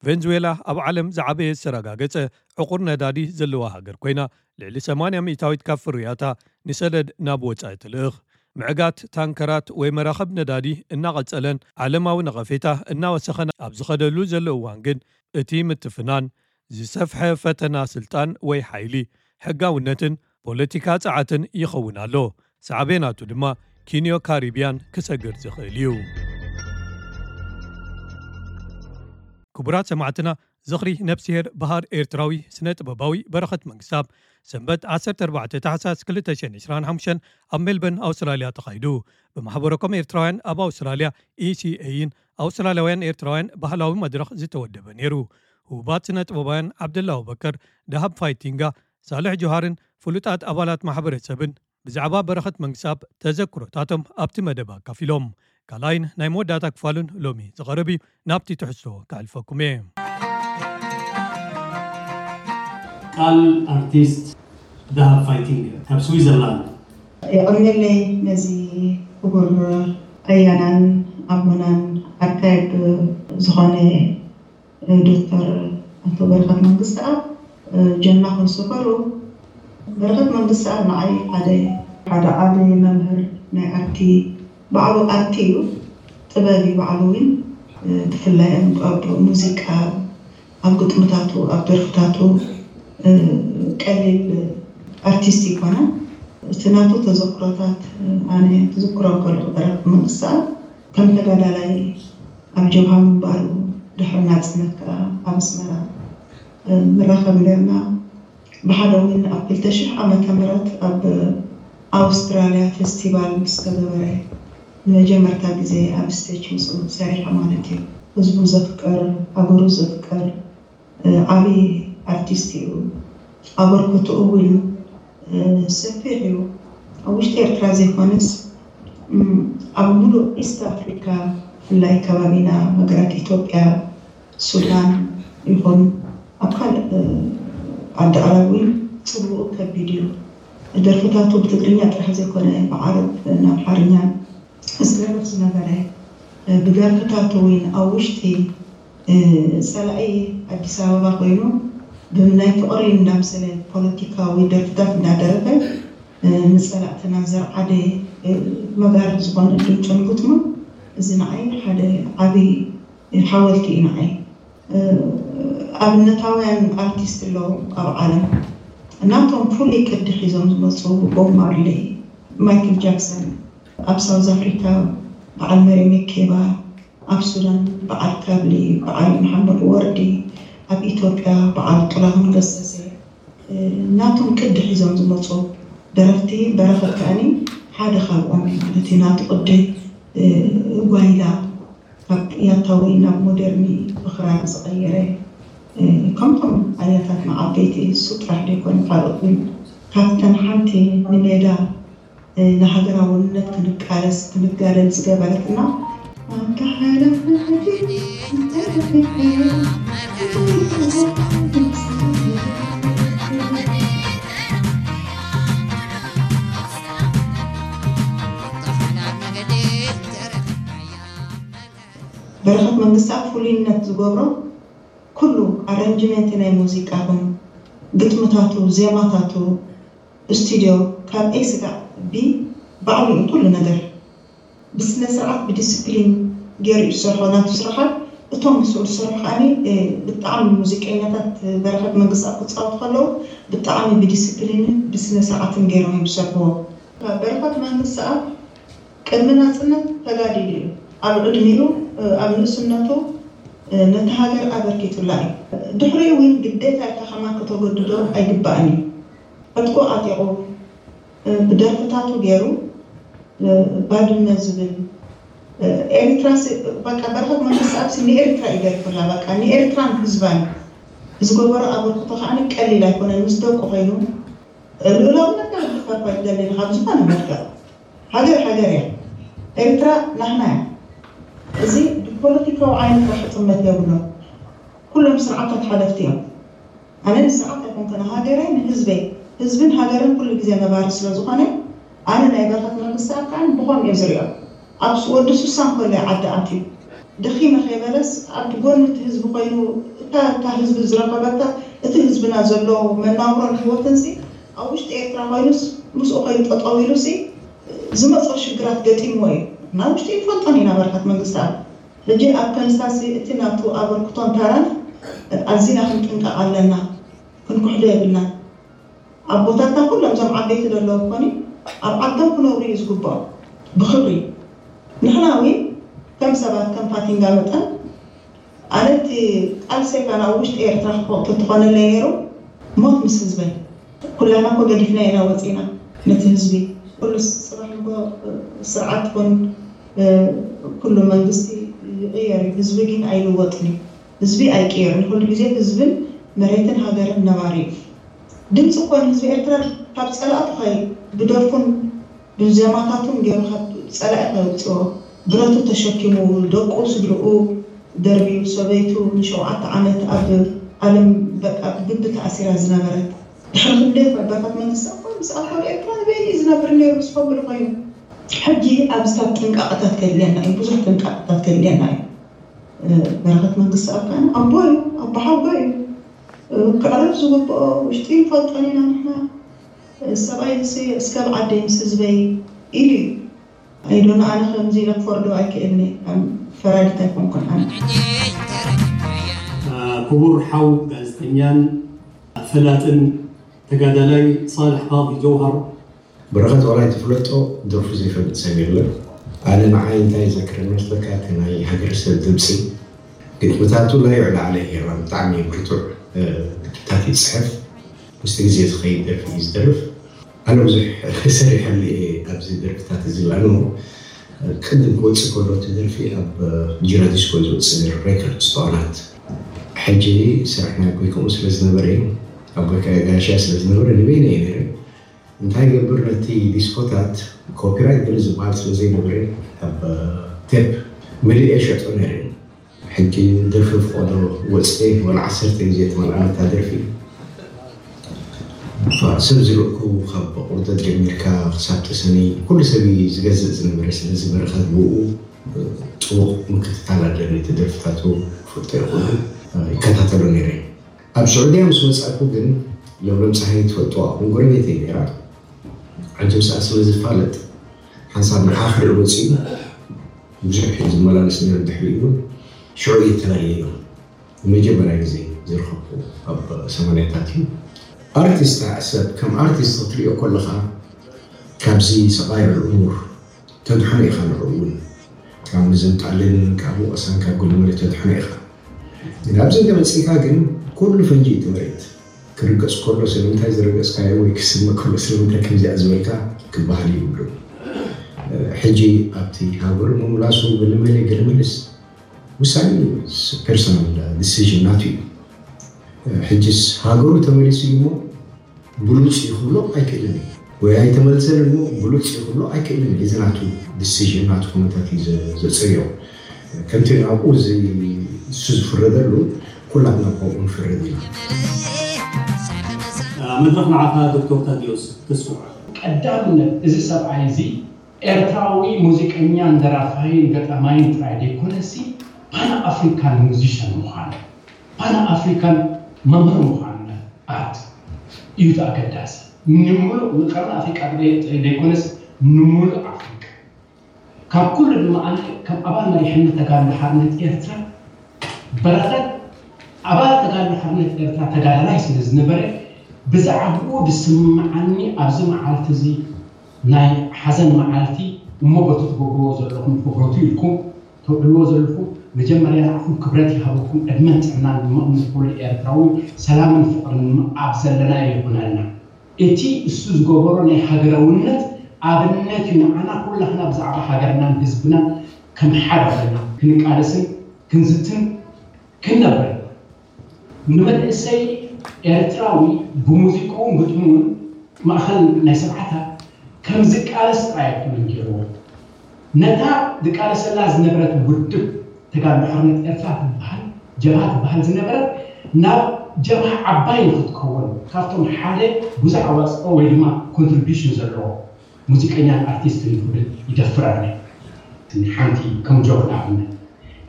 ቬንዙዌላ ኣብ ዓለም ዝዓበየ ዝተረጋገጸ ዕቑር ነዳዲ ዘለዋ ሃገር ኮይና፣ ልዕሊ ሰማንያ ሚእታዊት ካብ ፍርያታ ንሰደድ ናብ ወጻኢ ትልእኽ። ምዕጋት ታንከራት ወይ መራኽብ ነዳዲ እናቐጸለን ዓለማዊ ነቐፌታ እናወሰኸን ኣብ ዝኸደሉ ዘሎ እዋን ግን፣ እቲ ምትፍናን ዝሰፍሐ ፈተና ስልጣን ወይ ሓይሊ፣ ሕጋውነትን ፖለቲካ ጸዓትን ይኸውን ኣሎ። ሳዕቤናቱ ድማ ኪንዮ ካሪብያን ክሰግር ዝኽእል እዩ። ክቡራት ሰማዕትና፣ ዝኽሪ ነብስሄር በሃር ኤርትራዊ ስነ ጥበባዊ በረኸት መንግስታብ ሰንበት ዓሰርተ ኣርባዕተ ታሕሳስ ክልተ ሽሕን ዕስራን ሓሙሽተን ኣብ ሜልበርን ኣውስትራልያ ተኻይዱ። ብማሕበረኮም ኤርትራውያን ኣብ ኣውስትራልያ፣ ኢሲኤይን ኣውስትራልያውያን ኤርትራውያን ባህላዊ መድረኽ ዝተወደበ ነይሩ። ህቡባት ስነ ጥበባውያን ዓብደላ ኣቡበከር፣ ደሃብ ፋይቲንጋ፣ ሳልሕ ጆሃርን ፍሉጣት ኣባላት ማሕበረሰብን ብዛዕባ በረኸት መንግስታብ ተዘክሮታቶም ኣብቲ መደብ ኣካፊሎም። ካልኣይን ናይ መወዳእታ ክፋሉን ሎሚ ዝቐርብ እዩ። ናብቲ ትሕዝቶ ከሕልፈኩም እየ። ቃል ኣርቲስት ደሃብ ፋይቲንግ ካብ ስዊዘርላንድ። የቐንየለይ ነዚ ክቡር ኣያናን ኣቦናን ኣካየድ ዝኾነ ዶክተር ኣቶ በረኸት መንግስተኣብ ጀና ክንስፈሩ። በረኸት መንግስተኣብ ንዓይ ሓደ ሓደ ዓቢ መምህር ናይ ኣርቲ፣ ባዕሉ ኣርቲ እዩ፣ ጥበብ እዩ ባዕሉ እውን። ብፍላይ ኣብ ሙዚቃ፣ ኣብ ግጥምታቱ፣ ኣብ ደርፍታቱ ቀሊል ኣርቲስት ይኮነ። እቲ ናቱ ተዘክሮታት ኣነ ክዝክሮ ከለኹ በረኸት መንግስተኣብ ከም ተጋዳላይ ኣብ ጀብሃ ምንባሩ፣ ድሕሪ ናጽነት ከኣ ኣብ ኣስመራ ንራኸብ ነርና። ብሓደ እውን ኣብ ክልተ ሽሕ ዓመተ ምህረት ኣብ ኣውስትራልያ ፌስቲቫል ምስ ተገበረ ንመጀመርታ ግዜ ኣብ ስቴጅ ምስኡ ሰሪሐ ማለት እዩ። ህዝቡ ዘፍቅር፣ ሃገሩ ዘፍቅር ዓብዪ ኣርቲስት እዩ። ኣበርክትኡ እውን ሰፊሕ እዩ። ኣብ ውሽጢ ኤርትራ ዘይኮነስ ኣብ ሙሉእ ኢስት ኣፍሪካ፣ ብፍላይ ከባቢና ሃገራት ኢትዮጵያ፣ ሱዳን ይኹን ኣብ ካልእ ዓዲ ኣረብ እውን ጽልውኡ ከቢድ እዩ። ደርፍታቱ ብትግርኛ ጥራሕ ዘይኮነ ብዓረብ፣ ኣምሓርኛ ዝደርፍ ዝነበረ፣ ብደርፍታቱ እውን ኣብ ውሽጢ ጸላኢ ኣዲስ ኣበባ ኮይኑ ብናይ ፍቕሪ እንዳምሰለ ፖለቲካዊ ደርፍታት እንዳደረፈ ንጸላእትና ዘርዓደ መጋርድ ዝኾነ ድምፁን ግጥሙን እዚ ንዓይ ሓደ ዓብዪ ሓወልቲ እዩ ንዓይ። ኣብነታውያን ኣርቲስት ኣለዉ ኣብ ዓለም ናቶም ፍሉይ ቅዲ ሒዞም ዝመፁ ቦብ ማርሌ፣ ማይክል ጃክሰን፣ ኣብ ሳውዝ ኣፍሪካ በዓል መሪ ሜኬባ፣ ኣብ ሱዳን በዓል ካብሊ በዓል መሓመድ ወርዲ፣ ኣብ ኢትዮጵያ በዓል ጥላሁን ገሰሰ ናቶም ቅዲ ሒዞም ዝመፁ ደረፍቲ በረኸት ከኣኒ ሓደ ካብኦም እዩ ማለት እዩ። ናቱ ቅዲ ጓይላ ካብ ያታዊ ናብ ሞደርኒ ብኽራር ዝቐየረ ከምቶም ኣያታትና ዓበይቲ እሱ ጥራሕ ዘይኮነ ካልኦት እውን ካብተን ሓንቲ ንሜዳ ንሃገራውነት ክንቃለስ ክንጋደል ዝገበረትና ኣንታ ሓላፍነት በረኸት መንግስታ ፍሉይነት ዝገብሮ ኩሉ ኣረንጅመንት ናይ ሙዚቃ ኹን ግጥምታቱ ዜማታቱ ስቱድዮ ካብ ኤ ስጋዕ ቢ ባዕሉ እዩ ኩሉ ነገር ብስነ ስርዓት ብዲስፕሊን ገይሩ እዩ ዝሰርሖ ናቱ ስራሓት እቶም ምስኡ ዝሰርሑ ከዓኒ ብጣዕሚ ሙዚቀኛታት በረኸት መንግስቲ ኣብ ክፃወቱ ከለዉ ብጣዕሚ ብዲስፕሊንን ብስነ ስርዓትን ገይሮም እዮም ዝሰርሕዎ በረኸት መንግስቲ ኣብ ቅድሚ ናፅነት ተጋዲሉ እዩ ኣብ ዕድሚኡ ኣብ ንእስነቱ ነቲ ሃገር ኣበርኪቱላ እዩ ድሕሪኡ እውን ግዴታ ኢልካ ከማን ከተገድዶ ኣይግባእን እዩ ዕጥቁ ዓጢቑ ብደርፍታቱ ገይሩ ባድመ ዝብል ኤሪትራ በቃ በረኸት መንግስቲ ኣብሲ ንኤሪትራ እዩ ደርፍላ በቃ ንኤሪትራን ህዝባን ዝገበሮ ኣበርክቶ ከዓ ቀሊል ኣይኮነን ምስ ደቁ ኮይኑ ልኡላውነት ናይ ምድፋር ኳ ይደሊ ካብ ዝኾነ መልክዕ ሃገር ሃገር እያ ኤሪትራ ናህና እያ እዚ ብፖለቲካዊ ዓይነት ራሕ ጥመት የብሎ ኩሎም ስርዓታት ሓለፍቲ እዮም ኣነ ንስርዓት ኣይኮንኩ ንሃገረይ ንህዝበይ ህዝብን ሃገርን ኩሉ ግዜ ነባሪ ስለዝኾነ ኣነ ናይ በረኸት መንግስቲ ኣካን ብኾም እየ ዝሪኦ ኣብ ወዲ ሱሳ እንኮሎ ዓዲ ኣትዩ ደኺመ ከይበለስ ኣብ ጎኒ እቲ ህዝቢ ኮይኑ እታ እታ ህዝቢ ዝረኸበታ እቲ ህዝብና ዘሎ መናብሮን ህይወትን ሲ ኣብ ውሽጢ ኤርትራ ኮይኑስ ምስኡ ኮይኑ ጠጠው ኢሉ ሲ ዝመፅኦ ሽግራት ገጢምዎ እዩ ናብ ውሽጢ ይፈልጦን ኢና በረኸት መንግስቲ ኣብ ሕጂ ኣብ ከንሳሲ እቲ ናቱ ኣበርክቶን ታራን ኣዚና ክንጥንቀቕ ኣለና ክንኩሕዶ የብልናን ኣቦታትና ኩሎም እዞም ዓበይቲ ዘለዉ ኮኒ ኣብ ዓዶም ክነብሩ እዩ ዝግብኦም ብክብሪ ንሕና እውን ከም ሰባት ከም ፋቲንጋ መጠን ኣነ እቲ ቃልሰይ ካን ኣብ ውሽጢ ኤርትራ ክኸውቶ ተኾነለይ ነይሩ ሞት ምስ ህዝበይ ኩላና ኮ ገዲፍና ኢና ወፂና ነቲ ህዝቢ ኩሉ ጽባሕ እኮ ስርዓት ኮን ኩሉ መንግስቲ ይቕየር እዩ ህዝቢ ግን ኣይልወጥን እዩ ህዝቢ ኣይቅየርን ኩሉ ግዜ ህዝብን መሬትን ሃገርን ነባሪ እዩ ድምፂ እኮ ንህዝቢ ኤርትራ ካብ ፀላእቱ ከይ ብደርፉን ብዜማታቱን ገይሩ ካብ ፀላኢ ከውፅኦ ብረቱ ተሸኪሙ ደቁ ስድርኡ ደርብዩ ሰበይቱ ንሸውዓተ ዓመት ኣብ ዓለም በቃ ብግቢ ተኣሲራ ዝነበረት ድሕሪ ክንደይ ኮ በረኸት መንግስቲ እኮ ምስ ኣልኮል ኤርትራ ዝበይኒ ዝነብር ነይሩ ምስ ፈብሪ ኮይኑ ሕጂ ኣብዚታት ጥንቃቐታት ከድልየና እዩ ብዙሕ ጥንቃቐታት ከድልየና እዩ በረኸት መንግስቲ ኣብ ከኣነ ኣቦ እዩ ኣቦ ሓጎ እዩ ክዕረፍ ዝግብኦ ውሽጢ ይፈልጦን ኢና ንሕና ሰብኣይ ንስ እስከብ ዓደይ ምስ ህዝበይ ኢሉ እዩ ኣይዶነ ኣነ ከምዚ ኢለ ክፈርዶ ኣይክእልኒ ፈራዲት ኣይኮንኩን ኣነ ክቡር ሓው ጋዜጠኛን ፈላጥን ተጋዳላይ ሳልሕ ቃዲ ጀውሃር በረኸት ዋላ ኣይትፍለጦ ደርፉ ዘይፈልጥ ሰብ የለን ኣነ ንዓይ እንታይ ዘክረኒ መስለካ እቲ ናይ ሃገረሰብ ድምፂ ግጥምታቱ ላይ ዕላዕለ ሄራ ብጣዕሚ ብርቱዕ ግጥምታት ይፅሕፍ ምስቲ ግዜ ዝኸይድ ደርፊ እዩ ዝደርፍ ኣነ ብዙሕ ሰሪሐሉ እየ ኣብዚ ደርፍታት እዚ ላኑ ቅድም ክወፅእ ከሎ እቲ ደርፊ ኣብ ጂራዲስኮ ዝወፅእ ነይሩ ሬከርድ ስቶናት ሕጂ ስራሕ ናይ ኣቦይ ከምኡ ስለ ዝነበረ ኣቦይ ከኣ ጋሻ ስለ ዝነበረ ንበይነ እየ ነይረ እንታይ ይገብር ነቲ ዲስኮታት ኮፒራይት ገለ ዝበሃል ስለ ዘይነበረ ኣብ ቴፕ መሊኤ ሸጦ ነይረ ሕጂ ደርፊ ፍቆዶ ወፅኤ ወላ ዓሰርተ ግዜ ትመልኣነታ ደርፊ ሰብ ዝርእኩ ካብ ቁርደት ጀሚርካ ክሳብ ተሰነይ ኩሉ ሰብ እዩ ዝገዝእ ዝነበረ ስለዚ በረኸት ብኡ ጥቡቕ ምክትታል ኣለኒ እቲ ደርፍታቱ ክፈልጦ ይኹን ይከታተሎ ነይረ ኣብ ስዑድያ ምስ ወፃእኩ ግን ለምለም ፀሃየ ትፈልጥዋ እውን ጎረቤተይ ነይራ ዓጀብ ሰዓ ስለ ዝፋለጥ ሓንሳብ ንዓ ክርኢ ወፂኡ ብዙሕ እዩ ዝመላለስ ነይሩ ድሕሪኡ እውን ሽዑ እየ ተላለየዮ ንመጀመርያ ግዜ ዝረኸብኩ ኣብ ሰማንያታት እዩ ኣርቲስት ሰብ ከም ኣርቲስት ክትሪኦ ከለኻ ካብዚ ሰቓይዕ እሙር ተድሕኖ ኢኻ ንዕኡ እውን ካብ ምዝንጣልን ካብ ወቐሳን ካብ ገለመለ ተድሕኖ ኢኻ ግን ኣብዚ እንተ መፂእካ ግን ኩሉ ፈንጂ እዩ እቲ መሬት ክርገጽ ከሎ ስለምንታይ ዝረገጽካዮ ወይ ክስመ ከሎ ስለምንታይ ከምዚኣ ዝበልካ ክበሃል ይብሉ። ሕጂ ኣብቲ ሃገሩ ምምላሱ ብልመለ ገለ ምልስ ውሳኔ ፐርሶናል ዲሲዥን ናቱ እዩ። ሕጅስ ሃገሩ ተመሊሱ እዩ እሞ ብሉጽ እዩ ክብሎ ኣይክእልን እዩ፣ ወይ ኣይተመልሰን እሞ ብሉጽ እዩ ክብሎ ኣይክእልን እዩ። እዚ ናቱ ዲሲዥን ናቱ ኩነታት እዩ ዘ- ዘጽርዮ። ከምቲ ናብኡ እዚ እሱ ዝፍረደሉ ኩላትና ከምኡ ንፍረድ ኢና። መድረኽ ንዓኻ ዶክተር ታዲዮስ ተስፉ። ቀዳምነት እዚ ሰብኣይ እዚ ኤርትራዊ ሙዚቀኛን ደራፋይን ገጣማይን ጥራይ ዘይኮነሲ ፓን ኣፍሪካን ሙዚሽን ምዃኑ፣ ፓን ኣፍሪካን መምህር ምዃኑ ኣርት እዩ እቲ ኣገዳሲ። ንምሉእ ንቀርኒ ኣፍሪቃ ዘይኮነስ ንምሉእ ኣፍሪቃ። ካብ ኩሉ ድማ ኣነ ከም ኣባል መሪሕነት ተጋድሎ ሓርነት ኤርትራ በረኸት ኣባል ተጋድሎ ሓርነት ኤርትራ ተጋዳላይ ስለ ዝነበረ ብዛዕባኡ ዝስምዓኒ ኣብዚ መዓልቲ እዚ ናይ ሓዘን መዓልቲ እሞ በቲ ትገብርዎ ዘለኹም ክብረቱ ኢልኩም ተውዕልዎ ዘለኹም መጀመርያ ንዓኹም ክብረት ይሃበኩም ዕድመን ጥዕናን ድማ ንኹሉ ኤርትራዊ ሰላምን ፍቕርን ኣብ ዘለናዮ ይኹነልና። እቲ እሱ ዝገበሮ ናይ ሃገራውነት ኣብነት እዩ ንዓና ኩላህና ብዛዕባ ሃገርናን ህዝብናን ከም ሓደ ኮይና ክንቃለስን ክንዝትን ክንነብር ንመንእሰይ ኤርትራዊ ብሙዚቅኡን ግጥሙን ማእኸል ናይ ሰብዓታት ከም ዝቃለስ ጥራይ ኣይኮነን ገይርዎ ነታ ዝቃለሰላ ዝነበረት ውድብ ተጋድሎ ሓርነት ኤርትራ ትበሃል ጀብሃ ትበሃል ዝነበረት ናብ ጀብሃ ዓባይ ንክትከውን ካብቶም ሓደ ብዙሕ ኣዋፅኦ ወይ ድማ ኮንትሪቢሽን ዘለዎ ሙዚቀኛን ኣርቲስትን ክብል ይደፍር ኣነ። ሓንቲ ከም ጆክ ንኣብነት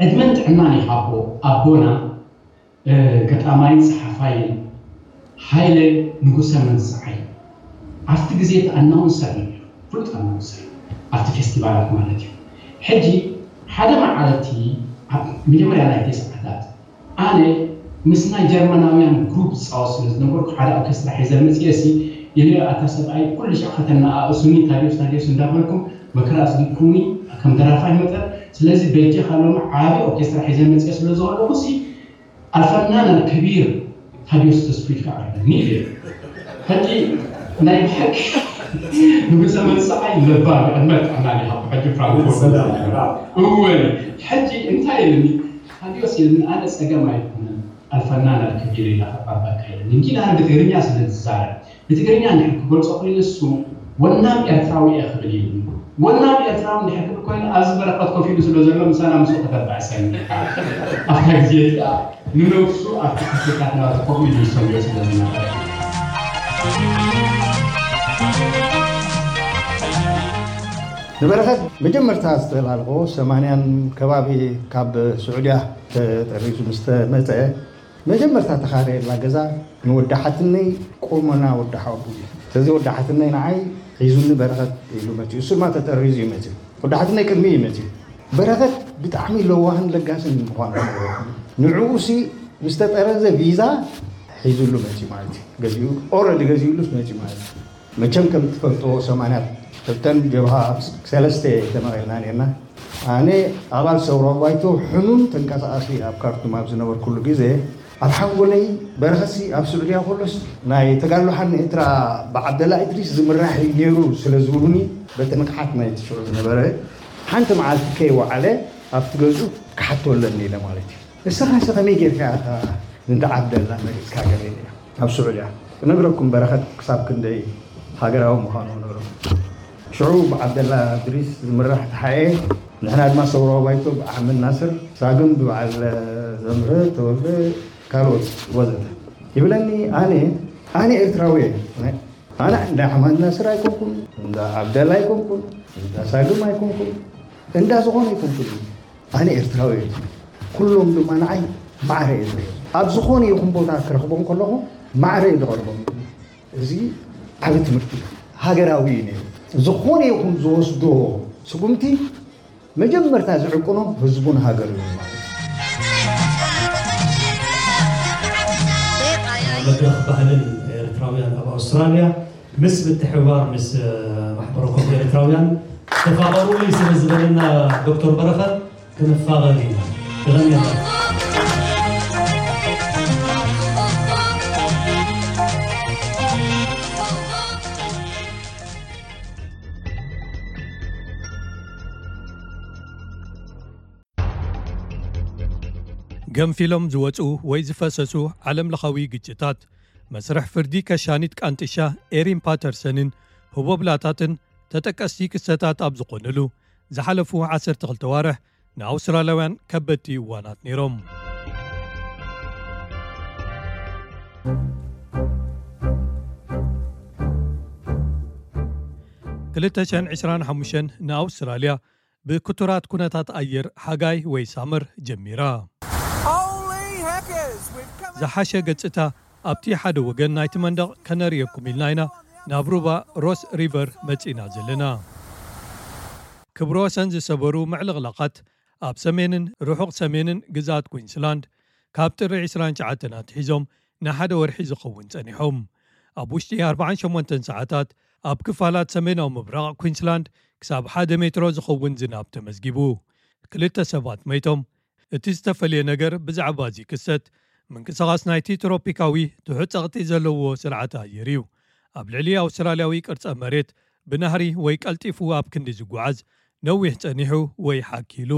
ዕድመን ጥዕናን ይሃቦ ኣቦና ገጣማይን ጸሓፋይን ሃይለ ንጉሰ መንስዓይ ኣብቲ ግዜ እቲ ኣናውንሰር እዩ ነይሩ፣ ፍሉጥ ኣናውንሰር ኣብቲ ፌስቲቫላት ማለት እዩ። ሕጂ ሓደ መዓልቲ ኣብ መጀመርያ ናይ ተስዓታት ኣነ ምስ ናይ ጀርመናውያን ግሩፕ ዝጻወት ስለ ዝነበርኩ ሓደ ኦርኬስትራ ሒዘ መጽኤ ሲ ኢለ ኣታ ሰብኣይ ኩሉ ሻዕ ከተነኣእሱኒ ታዲዮስ ታዲዮስ እንዳበልኩም መከራ ኣስጊድኩምኒ ከም ደራፋይ መጠን ስለዚ በጃኻ ሎሚ ዓቢ ኦርኬስትራ ሒዘ መጽኤ ስለ ዘለኹ ሲ ኣልፈናን ኣልከቢር ታዲዮስ ተስፉ ኢልካ ኣቅርበኒ ኢለ። ሕጂ ናይ ብሓቂ ንጉሰ መንስዓይ ለባም ዕድመ ጥዕና ይሃቦ ሕጂ ፍራንክፎርት እወ ሕጂ እንታይ ኢልኒ ታዲዮስ ኢልኒ ኣነ ጸገም ኣይኮነን ኣልፈናን ኣልከቢር ኢላ ከቅርበካ ኢልኒ እንጂ ንኣነ ብትግርኛ ስለ ዝዛረብ ብትግርኛ እንድሕር ክገልጾ ኮይኑ እሱ ወናም ኤርትራዊ እየ ክብል ኢሉ ወናም ኤርትራዊ እንድሕር ክብል ኮይኑ ኣብዚ በረኸት ኮፍ ኢሉ ስለ ዘሎ ምሳና ምስኡ ከተባእሰኒ ኣብታ ግዜ እቲኣ ንነብሱ ኣብቲ ክፍልታት ናቱ ኮፍ ኢሉ ይሰምዮ ስለ ዝነበረ ንበረኸት መጀመርታ ዝተላለኾ ሰማንያን ከባቢ ካብ ስዑድያ ተጠሪዙ ምስ ተመፀ መጀመርታ ተኻረየላ ገዛ ንወዲ ሓትነይ ቆመና ወዲ ሓወቦ እዩ። ስለዚ ወዲ ሓትነይ ንዓይ ሒዙኒ በረኸት ኢሉ መፂኡ። እሱ ድማ ተጠሪዙ እዩ መፂኡ። ወዲ ሓትነይ ቅድሚ እዩ መፂኡ። በረኸት ብጣዕሚ ለዋህን ለጋስን ምዃኑ ንዕኡ ሲ ምስ ተጠረዘ ቪዛ ሒዙሉ መፂኡ ማለት እዩ። ገዚኡ ኦረዲ ገዚኡሉስ መፂኡ ማለት እዩ። መቸም ከም ትፈልጥዎ ሰማንያ ክልተን ጀብሃ ሰለስተ ተመቒልና ነርና። ኣነ ኣባል ሰውራዊ ባይቶ ሕኑን ተንቀሳቓሲ ኣብ ካርቱም ኣብ ዝነበርኩሉ ግዜ ኣብ ሓንጎለይ በረኸሲ ኣብ ስዑድያ ከሎስ ናይ ተጋድሎ ሓርነት ኤርትራ ብዓብደላ እድሪስ ዝምራሕ እዩ ነይሩ ስለ ዝብሉኒ በቲ ንቕሓት ናይቲ ሽዑ ዝነበረ ሓንቲ መዓልቲ ከይወዓለ ኣብቲ ገዝኡ ክሓቶ ኣለኒ ኢለ ማለት እዩ። ንስኻሲ ከመይ ጌርካ ኢኻ ንዓብደላ መሪጽካ ገለ ኢለ ኣብ ስዑድያ ክነግረኩም በረኸት ክሳብ ክንደይ ሃገራዊ ምዃኑ ክነግረኩም። ሽዑ ብዓብደላ እድሪስ ዝምራሕ ተሓኤ ንሕና ድማ ሰውራዊ ባይቶ ብኣሕመድ ናስር ሳግም ብበዓል ዘምህረ ተወልደ ካልኦት ወዘተ ይብለኒ ኣነ ኣነ ኤርትራዊ እየ ኣነ እንዳ ኣሕመድ ናስር ኣይኮንኩን እንዳ ዓብደላ ኣይኮንኩን እንዳ ሳግም ኣይኮንኩን እንዳ ዝኾነ ኣይኮንኩን ኣነ ኤርትራዊ እየ ኩሎም ድማ ንዓይ ማዕረ እየ ዝሪኦም ኣብ ዝኾነ ይኹን ቦታ ክረኽቦም ከለኹ ማዕረ እየ ዝቐርቦም እዚ ዓቢ ትምህርቲ እዩ ሃገራዊ እዩ ነይሩ ዝኾነ ይኹን ዝወስዶ ስጉምቲ መጀመርታ ዝዕቅኖ ህዝቡን ሃገሩን እዩ ማለት እዩ። መድረኽ ባህልን ኤርትራውያን ኣብ ኣውስትራልያ ምስ ምትሕብባር ምስ ማሕበረ ኮም ኤርትራውያን ተፋቐሩለይ ስለ ዝበለና ዶክተር በረኸት ክንፋቐር ኢና። ተቐንየና። ተንፊሎም ዝወጹ ወይ ዝፈሰሱ ዓለም ለኻዊ ግጭታት፣ መስርሕ ፍርዲ ከሻኒት ቃንጥሻ ኤሪን ፓተርሰንን ህቦብላታትን ተጠቀስቲ ክስተታት ኣብ ዝኾንሉ ዝሓለፉ ዓሰርተ ክልተ ዋርሕ ንኣውስትራልያውያን ከበድቲ እዋናት ነይሮም። ክልተ ሽሕን ዕስራን ሓሙሽተን ንኣውስትራልያ ብክቱራት ኩነታት ኣየር ሓጋይ ወይ ሳመር ጀሚራ። ዝሓሸ ገጽታ ኣብቲ ሓደ ወገን ናይቲ መንደቕ ከነርእየኩም ኢልና ኢና ናብ ሩባ ሮስ ሪቨር መጺና ዘለና። ክብረ ወሰን ዝሰበሩ ምዕልቕላቓት ኣብ ሰሜንን ርሑቕ ሰሜንን ግዝኣት ኩዊንስላንድ ካብ ጥሪ ዕስራን ትሽዓተን ኣትሒዞም ንሓደ ወርሒ ዝኸውን ጸኒሖም። ኣብ ውሽጢ ኣርባዓን ሸሞንተን ሰዓታት ኣብ ክፋላት ሰሜናዊ ምብራቕ ኩዊንስላንድ ክሳብ ሓደ ሜትሮ ዝኸውን ዝናብ ተመዝጊቡ። ክልተ ሰባት መይቶም። እቲ ዝተፈልየ ነገር ብዛዕባ እዚ ክስተት ምንቅስቓስ ናይቲ ትሮፒካዊ ትሑት ጸቕጢ ዘለዎ ስርዓት ኣየር እዩ። ኣብ ልዕሊ ኣውስትራልያዊ ቅርጸ መሬት ብናህሪ ወይ ቀልጢፉ ኣብ ክንዲ ዝጓዓዝ ነዊሕ ጸኒሑ ወይ ሓኪሉ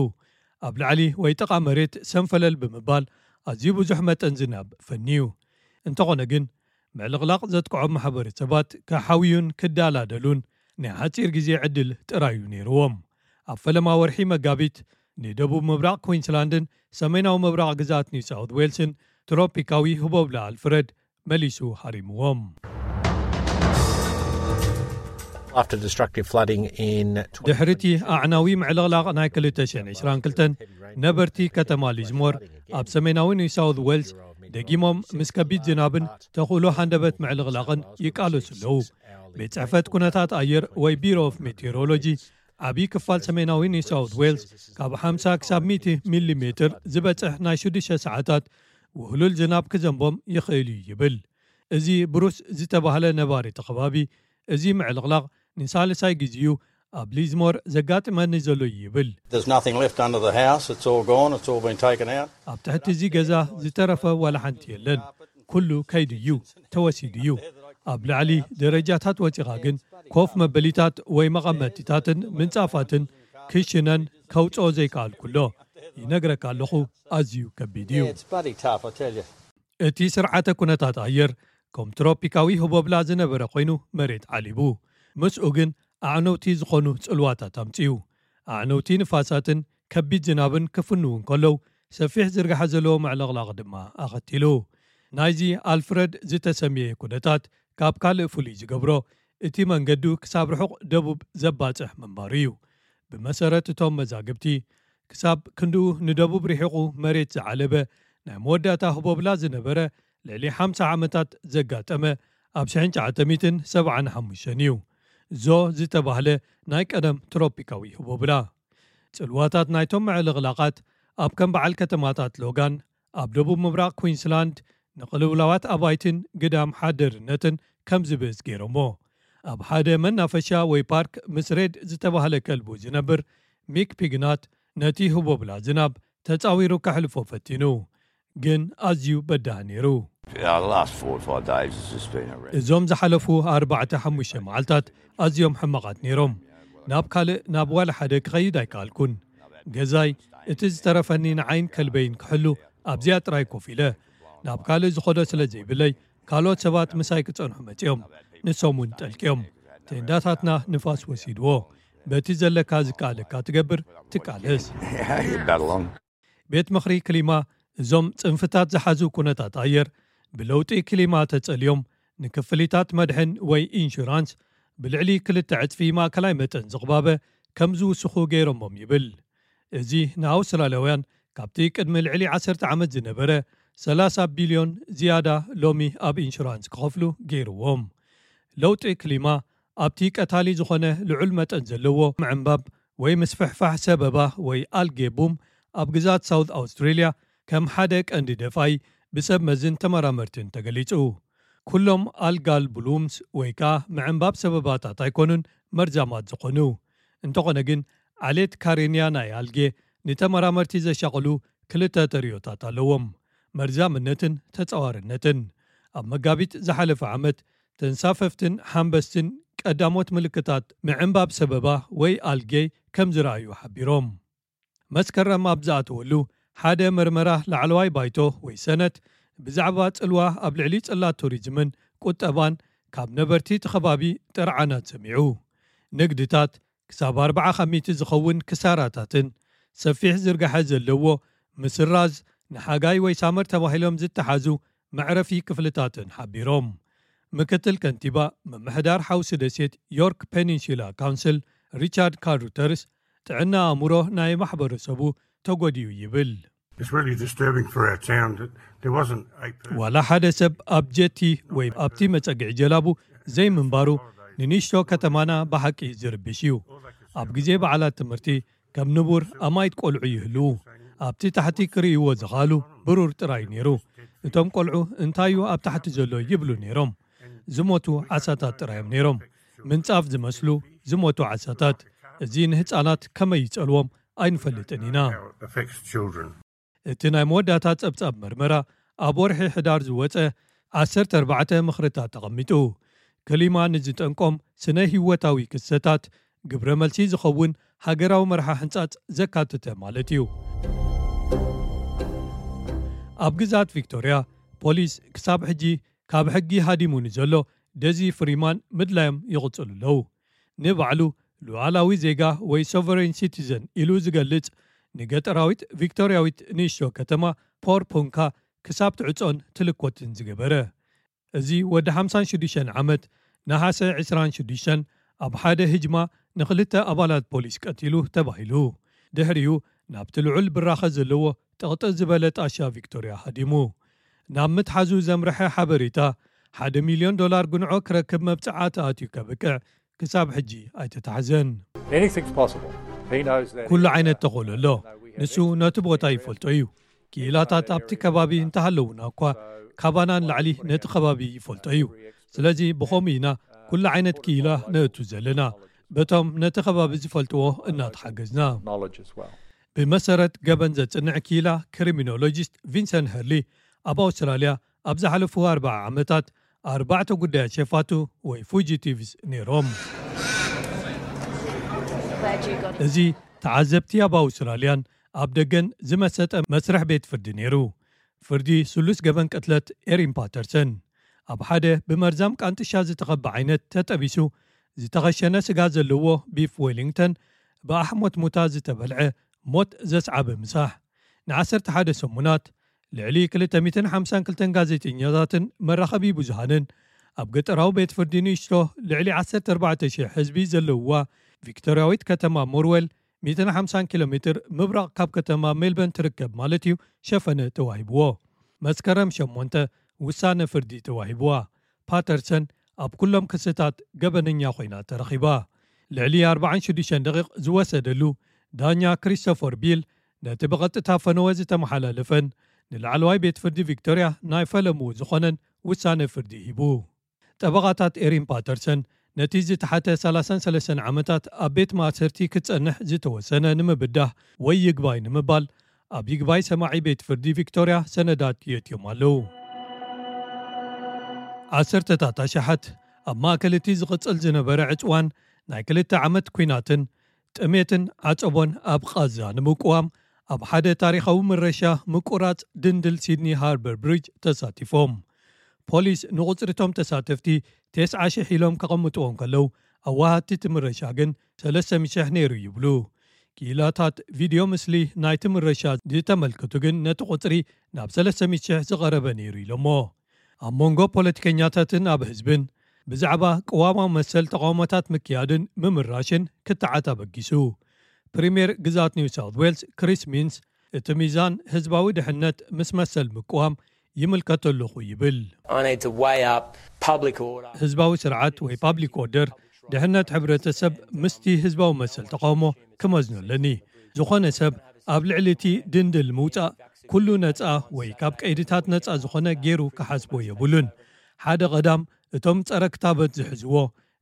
ኣብ ላዕሊ ወይ ጥቓ መሬት ሰንፈለል ብምባል ኣዝዩ ብዙሕ መጠን ዝናብ ፈንዩ። እንተኾነ ግን ምዕልቕላቕ ዘጥቅዖም ማሕበረሰባት ክሓውዩን ክዳላደሉን ናይ ሓጺር ግዜ ዕድል ጥራዩ ነይርዎም። ኣብ ፈለማ ወርሒ መጋቢት ንደቡብ ምብራቕ ኩዊንስላንድን ሰሜናዊ ምብራቕ ግዝኣት ኒው ሳውት ዌልስን ትሮፒካዊ ህቦብላ ኣልፍረድ መሊሱ ሃሪምዎም። After destructive flooding in ድሕሪቲ ኣዕናዊ ምዕልቕላቕ ናይ ክልተ ሽሕን ዕስራን ክልተን ነበርቲ ከተማ ሊዝሞር ኣብ ሰሜናዊ ኒው ሳውት ዌልስ ደጊሞም ምስ ከቢድ ዝናብን ተኽእሎ ሃንደበት ምዕልቕላቕን ይቃለሱ ኣለዉ። ቤት ጽሕፈት ኩነታት ኣየር ወይ ቢሮ ኦፍ ሜቴሮሎጂ ዓብዪ ክፋል ሰሜናዊ ኒው ሳውት ዌልስ ካብ ሓምሳ ክሳብ ሚእቲ ሚሊ ሜትር ዝበጽሕ ናይ ሽዱሽተ ሰዓታት ውህሉል ዝናብ ክዘንቦም ይኽእል እዩ ይብል። እዚ ብሩስ ዝተባህለ ነባሪ እቲ ከባቢ፣ እዚ ምዕልቕላቕ ንሳልሳይ ግዜኡ ኣብ ሊዝሞር ዘጋጥመኒ ዘሎ እዩ ይብል። There's nothing left under the house. It's all gone. It's all been taken out. ኣብ ትሕቲ እዚ ገዛ ዝተረፈ ዋላ ሓንቲ የለን። ኩሉ ከይዱ እዩ፣ ተወሲዱ እዩ። ኣብ ላዕሊ ደረጃታት ወጺኻ ግን ኮፍ መበሊታት ወይ መቐመጢታትን ምንጻፋትን ክሽነን ከውጽኦ ዘይከኣልኩሎ። ይነግረካ ኣለኹ፣ ኣዝዩ ከቢድ እዩ። Yeah, it's bloody tough, I tell you. እቲ ስርዓተ ኩነታት ኣየር ከም ትሮፒካዊ ህቦብላ ዝነበረ ኮይኑ መሬት ዓሊቡ። ምስኡ ግን ኣዕነውቲ ዝኾኑ ጽልዋታት ኣምጺኡ። ኣዕነውቲ ንፋሳትን ከቢድ ዝናብን ክፍንዉ እንከለዉ ሰፊሕ ዝርጋሐ ዘለዎ ምዕልቕላቕ ድማ ኣኸቲሉ። ናይዚ ኣልፍረድ ዝተሰምየ ኩነታት ካብ ካልእ ፍሉይ ዝገብሮ እቲ መንገዱ ክሳብ ርሑቕ ደቡብ ዘባጽሕ ምንባሩ እዩ። ብመሰረት እቶም መዛግብቲ ክሳብ ክንድኡ ንደቡብ ርሒቑ መሬት ዝዓለበ ናይ መወዳእታ ህቦብላ ዝነበረ ልዕሊ ሓምሳ ዓመታት ዘጋጠመ ኣብ ሽሕን ትሽዓተ ሚእትን ሰብዓን ሓሙሽተን እዩ። ዞ ዝተባህለ ናይ ቀደም ትሮፒካዊ ህቦብላ። ጽልዋታት ናይቶም ምዕልቕላቓት ኣብ ከም በዓል ከተማታት ሎጋን ኣብ ደቡብ ምብራቕ ኩዊንስላንድ ንቕልውላዋት ኣባይትን ግዳም ሓደርነትን ከም ዝብእስ ገይሮሞ። ኣብ ሓደ መናፈሻ ወይ ፓርክ ምስ ሬድ ዝተባህለ ከልቡ ዝነብር ሚክ ፒግናት ነቲ ህቦብላ ዝናብ ተጻዊሩ ከሕልፎ ፈቲኑ፣ ግን ኣዝዩ በዳህ ነይሩ። The last four or five days has just been horrendous. እዞም ዝሓለፉ ኣርባዕተ ሓሙሽተ መዓልታት ኣዝዮም ሕማቓት ነይሮም። ናብ ካልእ ናብ ዋላ ሓደ ክኸይድ ኣይከኣልኩን። ገዛይ እቲ ዝተረፈኒ ንዓይን ከልበይን ክሕሉ ኣብዚኣ ጥራይ ኮፍ ኢለ ናብ ካልእ ዝኸዶ ስለ ዘይብለይ ካልኦት ሰባት ምሳይ ክጸንሑ መጺኦም። ንሶም እውን ጠልቅዮም። ቴንዳታትና ንፋስ ወሲድዎ። በቲ ዘለካ ዝከኣለካ ትገብር ትቃለስ። You battle on. ቤት ምኽሪ ክሊማ እዞም ጽንፍታት ዝሓዙ ኩነታት ኣየር ብለውጢ ክሊማ ተጸልዮም ንክፍሊታት መድሕን ወይ ኢንሹራንስ ብልዕሊ ክልተ ዕጽፊ ማእከላይ መጠን ዝቕባበ ከም ዝውስኹ ገይሮሞም ይብል። እዚ ንኣውስትራልያውያን ካብቲ ቅድሚ ልዕሊ ዓሰርተ ዓመት ዝነበረ ሰላሳ ቢልዮን ዝያዳ ሎሚ ኣብ ኢንሹራንስ ክኸፍሉ ገይርዎም። ለውጢ ክሊማ ኣብቲ ቀታሊ ዝኾነ ልዑል መጠን ዘለዎ ምዕንባብ ወይ ምስፍሕፋሕ ሰበባ ወይ ኣልጌ ቡም ኣብ ግዛት ሳውት ኣውስትሬልያ ከም ሓደ ቀንዲ ደፋይ ብሰብ መዝን ተመራመርትን ተገሊጹ። ኩሎም ኣልጋል ብሉምስ ወይ ከኣ ምዕንባብ ሰበባታት ኣይኮኑን መርዛማት ዝኾኑ። እንተኾነ ግን ዓሌት ካሬንያ ናይ ኣልጌ ንተመራመርቲ ዘሻቕሉ ክልተ ተርእዮታት ኣለዎም፣ መርዛምነትን ተጻዋርነትን። ኣብ መጋቢት ዝሓለፈ ዓመት ተንሳፈፍትን ሓምበስትን ቀዳሞት ምልክታት ምዕንባብ ሰበባ ወይ ኣልጌ ከም ዝረኣዩ ሓቢሮም። መስከረም ኣብ ዝኣተወሉ ሓደ መርመራ ላዕለዋይ ባይቶ ወይ ሰነት ብዛዕባ ጽልዋ ኣብ ልዕሊ ጽላት ቱሪዝምን ቁጠባን ካብ ነበርቲ እቲ ከባቢ ጥርዓናት ሰሚዑ። ንግድታት ክሳብ ኣርባዓ ካብ ሚእቲ ዝኸውን ክሳራታትን ሰፊሕ ዝርጋሐ ዘለዎ ምስራዝ ንሓጋይ ወይ ሳመር ተባሂሎም ዝተሓዙ መዕረፊ ክፍልታትን ሓቢሮም። ምክትል ከንቲባ ምምሕዳር ሓውሲ ደሴት ዮርክ ፔኒንሱላ ካውንስል ሪቻርድ ካሩተርስ ጥዕና ኣእምሮ ናይ ማሕበረሰቡ ተጎዲኡ ይብል። It's really disturbing for our town that there wasn't a person. ዋላ ሓደ ሰብ ኣብ ጀቲ ወይ ኣብቲ መጸግዒ ጀላቡ ዘይምንባሩ ንንእሽቶ ከተማና ብሓቂ ዝርብሽ እዩ። ኣብ ግዜ በዓላት ትምህርቲ ከም ንቡር ኣማይት ቆልዑ ይህልዉ። ኣብቲ ታሕቲ ክርእይዎ ዝኽኣሉ ብሩር ጥራይ ነይሩ። እቶም ቆልዑ እንታይ እዩ ኣብ ታሕቲ ዘሎ ይብሉ ነይሮም። ዝሞቱ ዓሳታት ጥራዮም ነይሮም። ምንጻፍ ዝመስሉ ዝሞቱ ዓሳታት። እዚ ንህጻናት ከመይ ይጸልዎም ኣይንፈልጥን ኢና። How it affects children. እቲ ናይ መወዳእታ ጸብጻብ መርመራ ኣብ ወርሒ ሕዳር ዝወጸ ዓሰርተ ኣርባዕተ ምኽርታት ተቐሚጡ። ክሊማ ንዝጠንቆም ስነ ህይወታዊ ክስተታት ግብረ መልሲ ዝኸውን ሃገራዊ መርሓ ሕንጻጽ ዘካተተ ማለት እዩ። ኣብ ግዛት ቪክቶርያ ፖሊስ ክሳብ ሕጂ ካብ ሕጊ ሃዲሙ ንዘሎ ደዚ ፍሪማን ምድላዮም ይቕጽሉ ኣለዉ። ንባዕሉ ሉዓላዊ ዜጋ ወይ ሶቨሬን ሲቲዘን ኢሉ ዝገልጽ ንገጠራዊት ቪክቶርያዊት ንእሽቶ ከተማ ፖር ፖንካ ክሳብ ትዕጾን ትልኮትን ዝገበረ። እዚ ወዲ ሓምሳን ሽዱሽተን ዓመት ነሓሰ ዕስራን ሽዱሽተን ኣብ ሓደ ህጅማ ንኽልተ ኣባላት ፖሊስ ቀቲሉ ተባሂሉ። ድሕሪኡ ናብቲ ልዑል ብራኸ ዘለዎ ጥቕጥቕ ዝበለ ጣሻ ቪክቶርያ ሃዲሙ። ናብ ምትሓዙ ዘምርሐ ሓበሬታ ሓደ ሚልዮን ዶላር ጉንዖ ክረክብ መብጽዓ ተኣትዩ ከብቅዕ ክሳብ ሕጂ ኣይተታሕዘን። Anything's possible. He knows that. ኩሉ ዓይነት ተኽእሎ ኣሎ። ንሱ ነቲ ቦታ ይፈልጦ እዩ። ክኢላታት ኣብቲ ከባቢ እንተሃለዉና እኳ ካባና ንላዕሊ ነቲ ከባቢ ይፈልጦ እዩ። ስለዚ ብኸምኡ ኢና ኩሉ ዓይነት ክኢላ ነእቱ ዘለና። በቶም ነቲ ከባቢ ዝፈልጥዎ እናተሓገዝና። Knowledge as well. ብመሰረት ገበን ዘጽንዕ ክኢላ ክሪሚኖሎጂስት ቪንሰንት ሄርሊ ኣብ ኣውስትራልያ ኣብ ዝሓለፉ ኣርባዓ ዓመታት ኣርባዕተ ጉዳያት ሸፋቱ ወይ ፉጂቲቭስ ነይሮም። እዚ ተዓዘብቲ ኣብ ኣውስትራልያን ኣብ ደገን ዝመሰጠ መስርሕ ቤት ፍርዲ ነይሩ። ፍርዲ ስሉስ ገበን ቅትለት ኤሪን ፓተርሰን ኣብ ሓደ ብመርዛም ቃንጥሻ ዝተኸበ ዓይነት ተጠቢሱ ዝተኸሸነ ስጋ ዘለዎ ቢፍ ዌሊንግተን ብኣሕሞት ሙታ ዝተበልዐ ሞት ዘስዓበ ምሳሕ ንዓሰርተ ሓደ ሰሙናት ልዕሊ ክልተ ሚእትን ሓምሳን ክልተን ጋዜጠኛታትን መራኸቢ ብዙሃንን ኣብ ገጠራዊ ቤት ፍርዲ ንእሽቶ ልዕሊ ዓሰርተ ኣርባዕተ ሽሕ ህዝቢ ዘለውዋ ቪክቶርያዊት ከተማ ሞርዌል ሚእትን ሓምሳን ኪሎ ሜትር ምብራቕ ካብ ከተማ ሜልበርን ትርከብ ማለት እዩ ሸፈነ ተዋሂብዎ። መስከረም ሸሞንተ ውሳነ ፍርዲ ተዋሂብዋ። ፓተርሰን ኣብ ኩሎም ክስታት ገበነኛ ኮይና ተረኺባ። ልዕሊ ኣርባዓን ሽዱሽተን ደቂቕ ዝወሰደሉ ዳኛ ክሪስቶፈር ቢል ነቲ ብቐጥታ ፈነወ ዝተመሓላለፈን ንላዕለዋይ ቤት ፍርዲ ቪክቶርያ ናይ ፈለምኡ ዝኾነን ውሳነ ፍርዲ ሂቡ። ጠበቓታት ኤሪን ፓተርሰን ነቲ ዝተሓተ ሰላሳን ሰለስተን ዓመታት ኣብ ቤት ማእሰርቲ ክጸንሕ ዝተወሰነ ንምብዳህ ወይ ይግባይ ንምባል ኣብ ይግባይ ሰማዒ ቤት ፍርዲ ቪክቶርያ ሰነዳት የእትዮም ኣለዉ። ዓሰርተታት ኣሽሓት ኣብ ማእከል እቲ ዝቕጽል ዝነበረ ዕጽዋን ናይ ክልተ ዓመት ኲናትን ጥሜትን ዓጸቦን ኣብ ቓዛ ንምቅዋም ኣብ ሓደ ታሪኻዊ ምረሻ ምቁራጽ ድንድል ሲድኒ ሃርበር ብሪጅ ተሳቲፎም። ፖሊስ ንቑጽሪቶም ተሳተፍቲ ተስዓ ሽሕ ኢሎም ከቐምጥዎም ከለዉ ኣዋሃድቲ እቲ ምረሻ ግን ሰለስተ ሚእቲ ሽሕ ነይሩ ይብሉ። ክኢላታት ቪድዮ ምስሊ ናይቲ ምረሻ ዝተመልከቱ ግን ነቲ ቁጽሪ ናብ ሰለስተ ሚእቲ ሽሕ ዝቐረበ ነይሩ ኢሎሞ። ኣብ መንጎ ፖለቲከኛታትን ኣብ ህዝብን ብዛዕባ ቅዋማዊ መሰል ተቓውሞታት ምክያድን ምምራሽን ክትዓት ኣበጊሱ። ፕሪምየር ግዛት ኒው ሳውት ዌልስ ክሪስ ሚንስ እቲ ሚዛን ህዝባዊ ድሕነት ምስ መሰል ምቅዋም ይምልከቶ ኣለኹ ይብል። I need to weigh up public order. ህዝባዊ ስርዓት ወይ ፓብሊክ ኦርደር ድሕነት ሕብረተሰብ ምስቲ ህዝባዊ መሰል ተቃውሞ ክመዝኖ ኣለኒ። ዝኾነ ሰብ ኣብ ልዕሊ እቲ ድንድል ምውጻእ ኩሉ ነጻ ወይ ካብ ቀይድታት ነጻ ዝኾነ ገይሩ ክሓስቦ የብሉን። ሓደ ቀዳም እቶም ጸረ ክታበት ዝሕዝዎ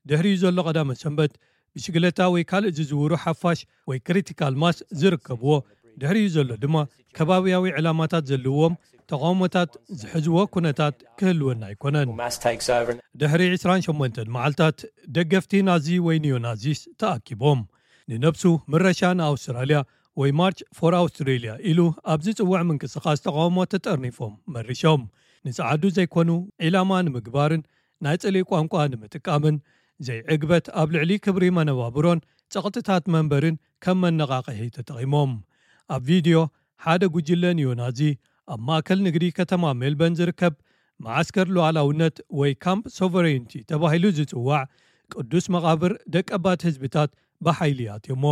ድሕሪኡ ዘሎ ቀዳመ ሰንበት ብሽግለታ ወይ ካልእ ዝዝውሩ ሓፋሽ ወይ ክሪቲካል ማስ ዝርከብዎ ድሕሪኡ ዘሎ ድማ ከባብያዊ ዕላማታት ዘለዎም ተቃውሞታት ዝሕዝዎ ኩነታት ክህልወና ኣይኮነን። Mass takes over. ድሕሪ ዕስራን ሸሞንተን መዓልታት ደገፍቲ ናዚ ወይ ኒዮናዚስ ተኣኪቦም ንነብሱ ምረሻ ንኣውስትራልያ ወይ March for Australia ኢሉ ኣብ ዝጽውዕ ምንቅስቓስ ተቓውሞ ተጠርኒፎም መሪሾም። ንጸዓዱ ዘይኮኑ ዒላማ ንምግባርን ናይ ጽልኢ ቋንቋ ንምጥቃምን ዘይዕግበት ኣብ ልዕሊ ክብሪ መነባብሮን ጸቕጥታት መንበርን ከም መነቓቕሒ ተጠቒሞም። ኣብ ቪድዮ ሓደ ጉጅለ ኒዮናዚ ኣብ ማእከል ንግዲ ከተማ ሜልበርን ዝርከብ መዓስከር ሉዓላውነት ወይ ካምፕ ሶቨሬንቲ ተባሂሉ ዝጽዋዕ ቅዱስ መቓብር ደቀባት ህዝብታት ብሓይሊ ኣትዮሞ።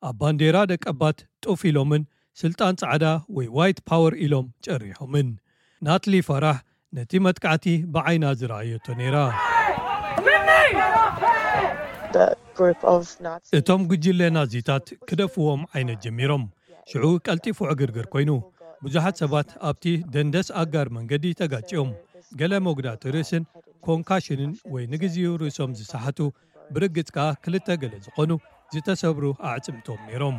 ኣብ ባንዴራ ደቀባት ጡፍ ኢሎምን ስልጣን ጻዕዳ ወይ ዋይት ፓወር ኢሎም ጨሪሖምን። ናትሊ ፋራህ ነቲ መጥቃዕቲ ብዓይና ዝረኣየቶ ነይራ። The group of Nazis. እቶም ጉጅለ ናዚታት ክደፍዎም ዓይነት ጀሚሮም። ሽዑ ቀልጢፉ ዕግርግር ኮይኑ ብዙሓት ሰባት ኣብቲ ደንደስ ኣጋር መንገዲ ተጋጭዮም። ገለ መጉዳእቲ ርእስን ኮንካሽንን ወይ ንግዜኡ ርእሶም ዝሰሓቱ ብርግጽ ከኣ ክልተ ገለ ዝኾኑ ዝተሰብሩ ኣዕጽምቶም ነይሮም።